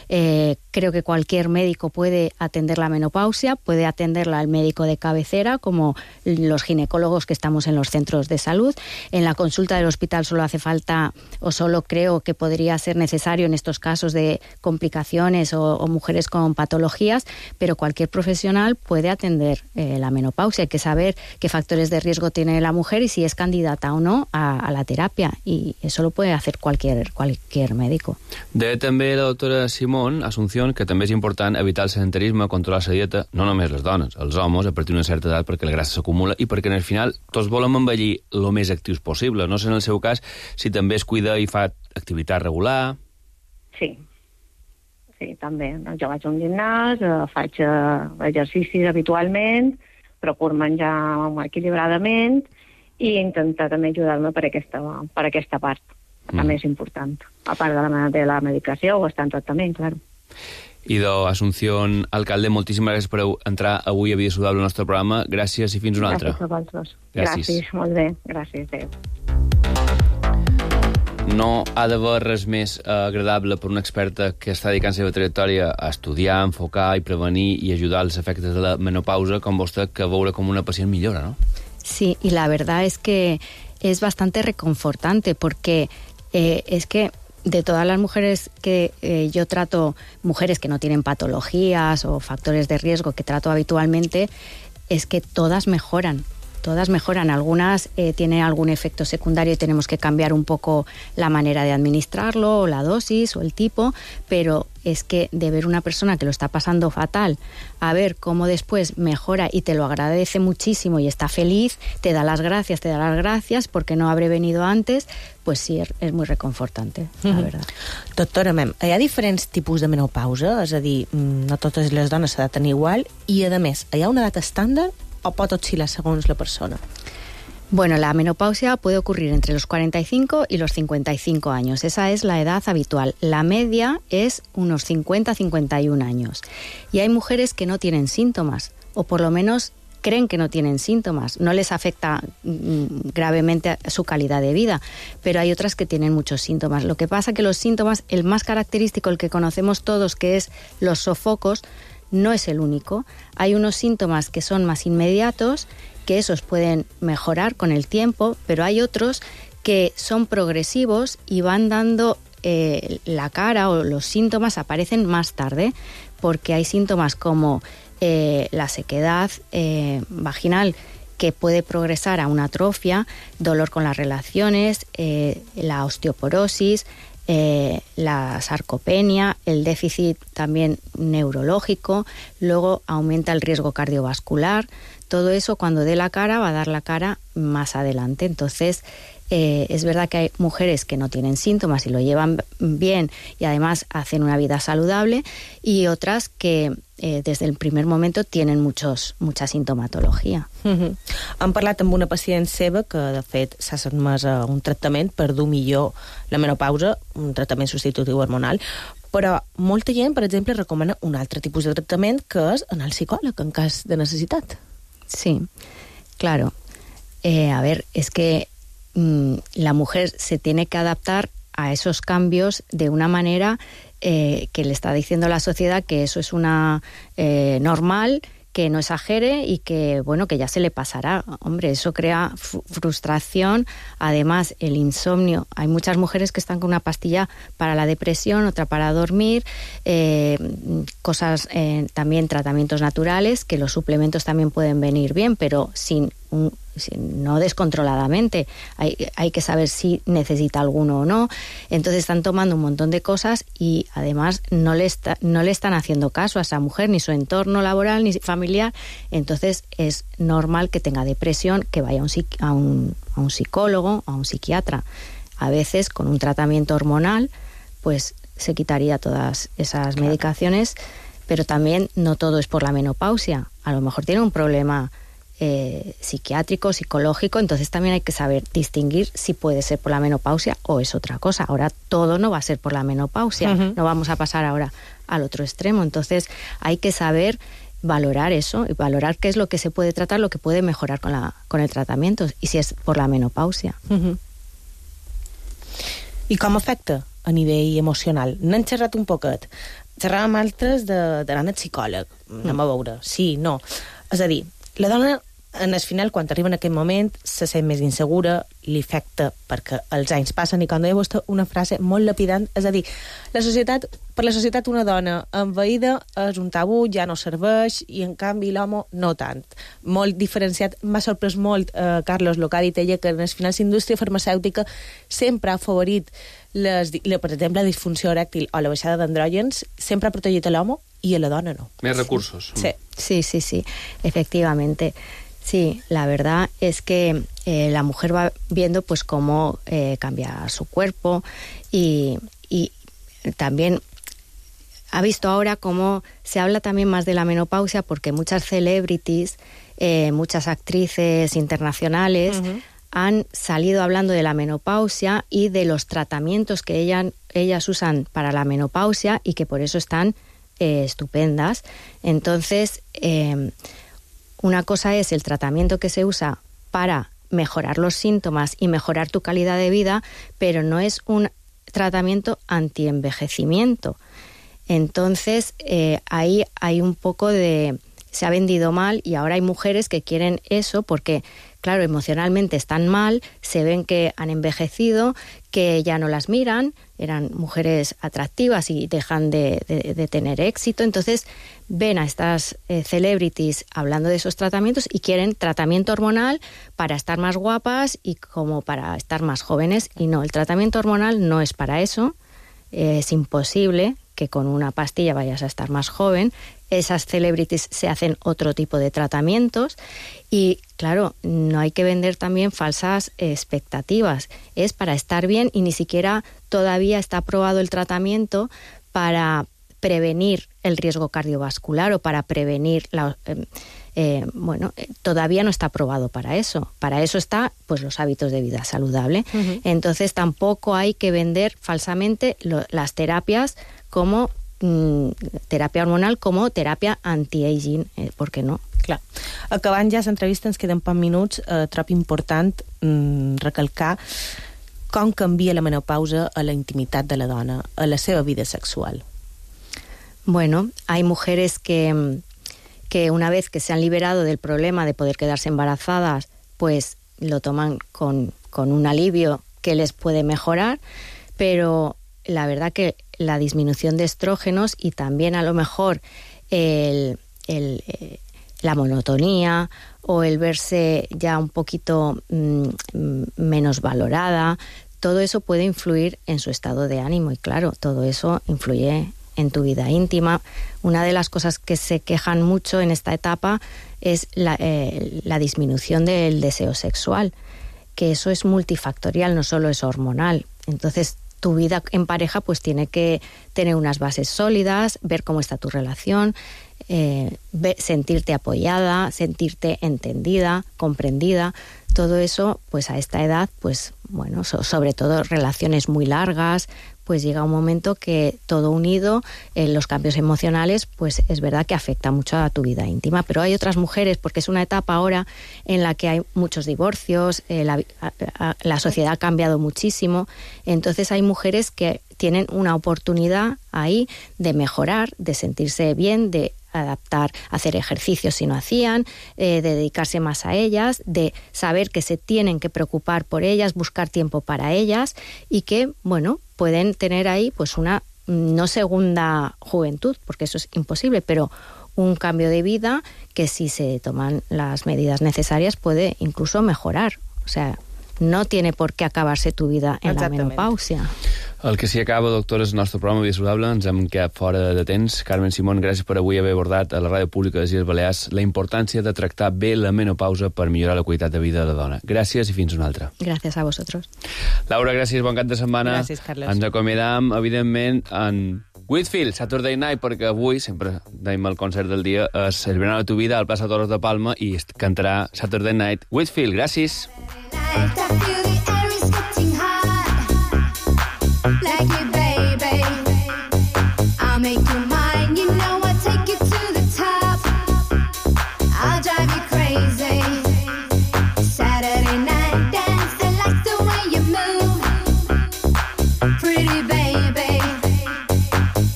Speaker 9: Eh, creo que cualquier médico puede atender la menopausia, puede atenderla al médico de cabecera, como los ginecólogos que estamos en los centros de salud. En la consulta del hospital solo hace falta, o solo creo que podría ser necesario en estos casos de complicaciones o, o mujeres con patologías, pero cualquier profesional puede atender eh, la menopausia. Hay que saber qué factores de riesgo tiene la mujer y si es candidata o no a, a la terapia, y eso lo puede hacer cualquier, cualquier médico.
Speaker 4: De també la doctora Simón Asunción que també és important evitar el sedentarisme, controlar la dieta, no només les dones, els homes a partir d'una certa edat, perquè la grassa s'acumula i perquè en el final tots volem envellir el més actius possible. No sé en el seu cas si també es cuida i fa activitat regular.
Speaker 10: Sí, sí, també. Jo vaig a un gimnàs, faig exercicis habitualment, procuro menjar equilibradament i intentar també ajudar-me per aquesta, per aquesta part. Mm. També és important. A part de la, de la medicació o estar en tractament, claro.
Speaker 4: Idò Asunción, alcalde, moltíssimes gràcies per entrar avui a Vida Saludable al nostre programa. Gràcies i fins una altra.
Speaker 10: Gràcies a vosaltres. Gràcies. gràcies, molt bé. Gràcies, adéu.
Speaker 4: No ha d'haver res més agradable per una experta que està dedicant la seva trajectòria a estudiar, enfocar i prevenir i ajudar als efectes de la menopausa, com vostè, que veure com una pacient millora, ¿no?
Speaker 9: Sí, y la verdad es que es bastante reconfortante porque eh, es que de todas las mujeres que eh, yo trato, mujeres que no tienen patologías o factores de riesgo que trato habitualmente, es que todas mejoran. Todas mejoran, algunas eh, tienen algún efecto secundario y tenemos que cambiar un poco la manera de administrarlo, o la dosis, o el tipo, pero es que de ver una persona que lo está pasando fatal, a ver cómo después mejora y te lo agradece muchísimo y está feliz, te da las gracias, te da las gracias porque no habré venido antes, pues sí, és, és muy reconfortante, la mm-hmm. verdad.
Speaker 1: Doctora Mem, hi ha diferents tipus de menopausa, és a dir, no totes les dones s'ha de tenir igual, i a més, hi ha una edat estàndard o pot oscilar segons la persona?
Speaker 9: Bueno, la menopausia puede ocurrir entre los cuarenta y cinco y los cincuenta y cinco años. Esa es la edad habitual. La media es unos cincuenta a cincuenta y un años. Y hay mujeres que no tienen síntomas, o por lo menos creen que no tienen síntomas. No les afecta mm, gravemente su calidad de vida, pero hay otras que tienen muchos síntomas. Lo que pasa que los síntomas, el más característico, el que conocemos todos, que es los sofocos, no es el único. Hay unos síntomas que son más inmediatos, que esos pueden mejorar con el tiempo, pero hay otros que son progresivos y van dando eh, la cara, o los síntomas aparecen más tarde, porque hay síntomas como eh, la sequedad eh, vaginal, que puede progresar a una atrofia, dolor con las relaciones, eh, la osteoporosis, Eh, la sarcopenia, el déficit también neurológico, luego aumenta el riesgo cardiovascular. Todo eso, cuando dé la cara, va a dar la cara más adelante. Entonces, eh, es verdad que hay mujeres que no tienen síntomas y lo llevan bien y además hacen una vida saludable, y otras que eh, desde el primer momento tienen muchos, mucha sintomatología.
Speaker 1: Mm-hmm. Hem parlat amb una pacient seva que, de fet, s'ha sotmès a un tractament per dur millor la menopausa, un tractament substitutiu hormonal, però molta gent, per exemple, recomana un altre tipus de tractament, que és anar al psicòleg en cas de necessitat.
Speaker 9: Sí, claro. Eh, a ver, es que mmm, la mujer se tiene que adaptar a esos cambios de una manera eh, que le está diciendo la sociedad que eso es una eh, normal, que no exagere y que, bueno, que ya se le pasará. Hombre, eso crea frustración. Además, el insomnio. Hay muchas mujeres que están con una pastilla para la depresión, otra para dormir, eh, cosas, eh, también tratamientos naturales, que los suplementos también pueden venir bien, pero sin un no descontroladamente, hay, hay que saber si necesita alguno o no. Entonces están tomando un montón de cosas y además no le, está, no le están haciendo caso a esa mujer, ni su entorno laboral, ni familiar. Entonces es normal que tenga depresión, que vaya a un, a un, a un psicólogo, a un psiquiatra. A veces con un tratamiento hormonal pues se quitaría todas esas claro. medicaciones, pero también no todo es por la menopausia. A lo mejor tiene un problema Eh, psiquiátrico, psicológico, entonces también hay que saber distinguir si puede ser por la menopausia o es otra cosa. Ahora todo no va a ser por la menopausia, uh-huh. no vamos a pasar ahora al otro extremo, entonces hay que saber valorar eso y valorar qué es lo que se puede tratar, lo que puede mejorar con, la, con el tratamiento i si és per la menopàusia.
Speaker 1: Uh-huh. I com afecta a nivell emocional? N'hem xerrat un poquet. Xerràvem amb altres d'anar al psicòleg, anem a veure, sí, no. És a dir, la dona, en el final, quan arriba en aquest moment, se sent més insegura, li afecta perquè els anys passen, i quan deia vostè una frase molt lapidant, és a dir, la societat, per la societat una dona envaïda és un tabú, ja no serveix, i en canvi l'home no tant. Molt diferenciat. M'ha sorprès molt, eh, Carlos, el que ha dit ella, que en el final la indústria farmacèutica sempre ha favorit, les, la, per exemple, la disfunció erèctil o la baixada d'andrògens, sempre ha protegit a l'home y a la dona no.
Speaker 4: Más recursos.
Speaker 9: Sí, sí, sí, sí, efectivamente. Sí, la verdad es que eh, la mujer va viendo pues cómo eh, cambia su cuerpo y, y también ha visto ahora cómo se habla también más de la menopausia porque muchas celebrities, eh, muchas actrices internacionales uh-huh. han salido hablando de la menopausia y de los tratamientos que ella, ellas usan para la menopausia y que por eso están Eh, estupendas. Entonces, eh, una cosa es el tratamiento que se usa para mejorar los síntomas y mejorar tu calidad de vida, pero no es un tratamiento antienvejecimiento. Entonces, eh, ahí hay un poco de... se ha vendido mal y ahora hay mujeres que quieren eso porque, claro, emocionalmente están mal, se ven que han envejecido, que ya no las miran, eran mujeres atractivas y dejan de, de, de tener éxito. Entonces ven a estas eh, celebrities hablando de esos tratamientos y quieren tratamiento hormonal para estar más guapas y como para estar más jóvenes. Y no, el tratamiento hormonal no es para eso, eh, es imposible que con una pastilla vayas a estar más joven. Esas celebrities se hacen otro tipo de tratamientos y, claro, no hay que vender también falsas expectativas. Es para estar bien y ni siquiera todavía está aprobado el tratamiento para prevenir el riesgo cardiovascular o para prevenir la... Eh, eh, bueno, eh, todavía no está aprobado para eso. Para eso está, pues, los hábitos de vida saludable. Uh-huh. Entonces tampoco hay que vender falsamente lo, las terapias como mm, teràpia hormonal com teràpia anti-aging, eh, per què no?
Speaker 1: Clar. Acabant ja l'entrevista, ens queden pocs minuts, eh, trobo important mm, recalcar com canvia la menopausa a la intimitat de la dona, a la seva vida sexual.
Speaker 9: Bueno, hay mujeres que, que una vez que se han liberado del problema de poder quedarse embarazadas, pues lo toman con, con un alivio que les puede mejorar, pero la verdad que la disminución de estrógenos y también a lo mejor el, el, eh, la monotonía o el verse ya un poquito mmm, menos valorada, todo eso puede influir en su estado de ánimo y claro, todo eso influye en tu vida íntima. Una de las cosas que se quejan mucho en esta etapa es la, eh, la disminución del deseo sexual, que eso es multifactorial, no solo es hormonal. Entonces, tu vida en pareja pues tiene que tener unas bases sólidas, ver cómo está tu relación, eh, ver, sentirte apoyada, sentirte entendida, comprendida. Todo eso, pues a esta edad, pues bueno, so, sobre todo relaciones muy largas, pues llega un momento que todo unido, eh, los cambios emocionales, pues es verdad que afecta mucho a tu vida íntima. Pero hay otras mujeres, porque es una etapa ahora en la que hay muchos divorcios, eh, la, a, la sociedad ha cambiado muchísimo, entonces hay mujeres que tienen una oportunidad ahí de mejorar, de sentirse bien, de adaptar, hacer ejercicios si no hacían, eh, de dedicarse más a ellas, de saber que se tienen que preocupar por ellas, buscar tiempo para ellas y que, bueno, pueden tener ahí pues una, no segunda juventud, porque eso es imposible, pero un cambio de vida que si se toman las medidas necesarias puede incluso mejorar. O sea, no tiene por què acabar-se tu vida en la menopàusia.
Speaker 4: El que s'hi acaba, doctora, és el nostre programa Vida Saludable. Ens hem quedat fora de temps. Carmen Simón, gràcies per avui haver abordat a la Ràdio Pública de les Illes Balears la importància de tractar bé la menopausa per millorar la qualitat de vida de la dona. Gràcies i fins una altra.
Speaker 9: Gràcies a vosaltres.
Speaker 4: Laura, gràcies, bon cap de setmana.
Speaker 1: Gràcies, Carles.
Speaker 4: Ens acomiadam, evidentment, en Whitfield, Saturday Night, perquè avui, sempre tenim el concert del dia, es celebrarà la tu vida al Plaça Toros de Palma i cantarà Saturday Night Whitfield. Gràcies.
Speaker 11: Like you, baby, I'll make you mine. You know I'll take you to the top. I'll drive you crazy. Saturday night dance, I like the way you move. Pretty baby,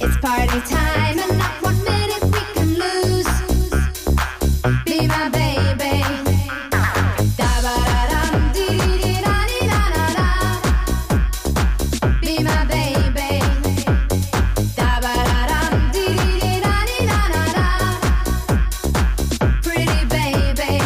Speaker 11: it's party time and not one minute we can lose. Be my baby. Da-ba-da-dum, dee-dee-da-dee-da-da-da. Be my baby. Da-ba-da-dum, dee-dee-da-dee-da-da-da. Pretty baby.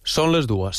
Speaker 12: Són les dues.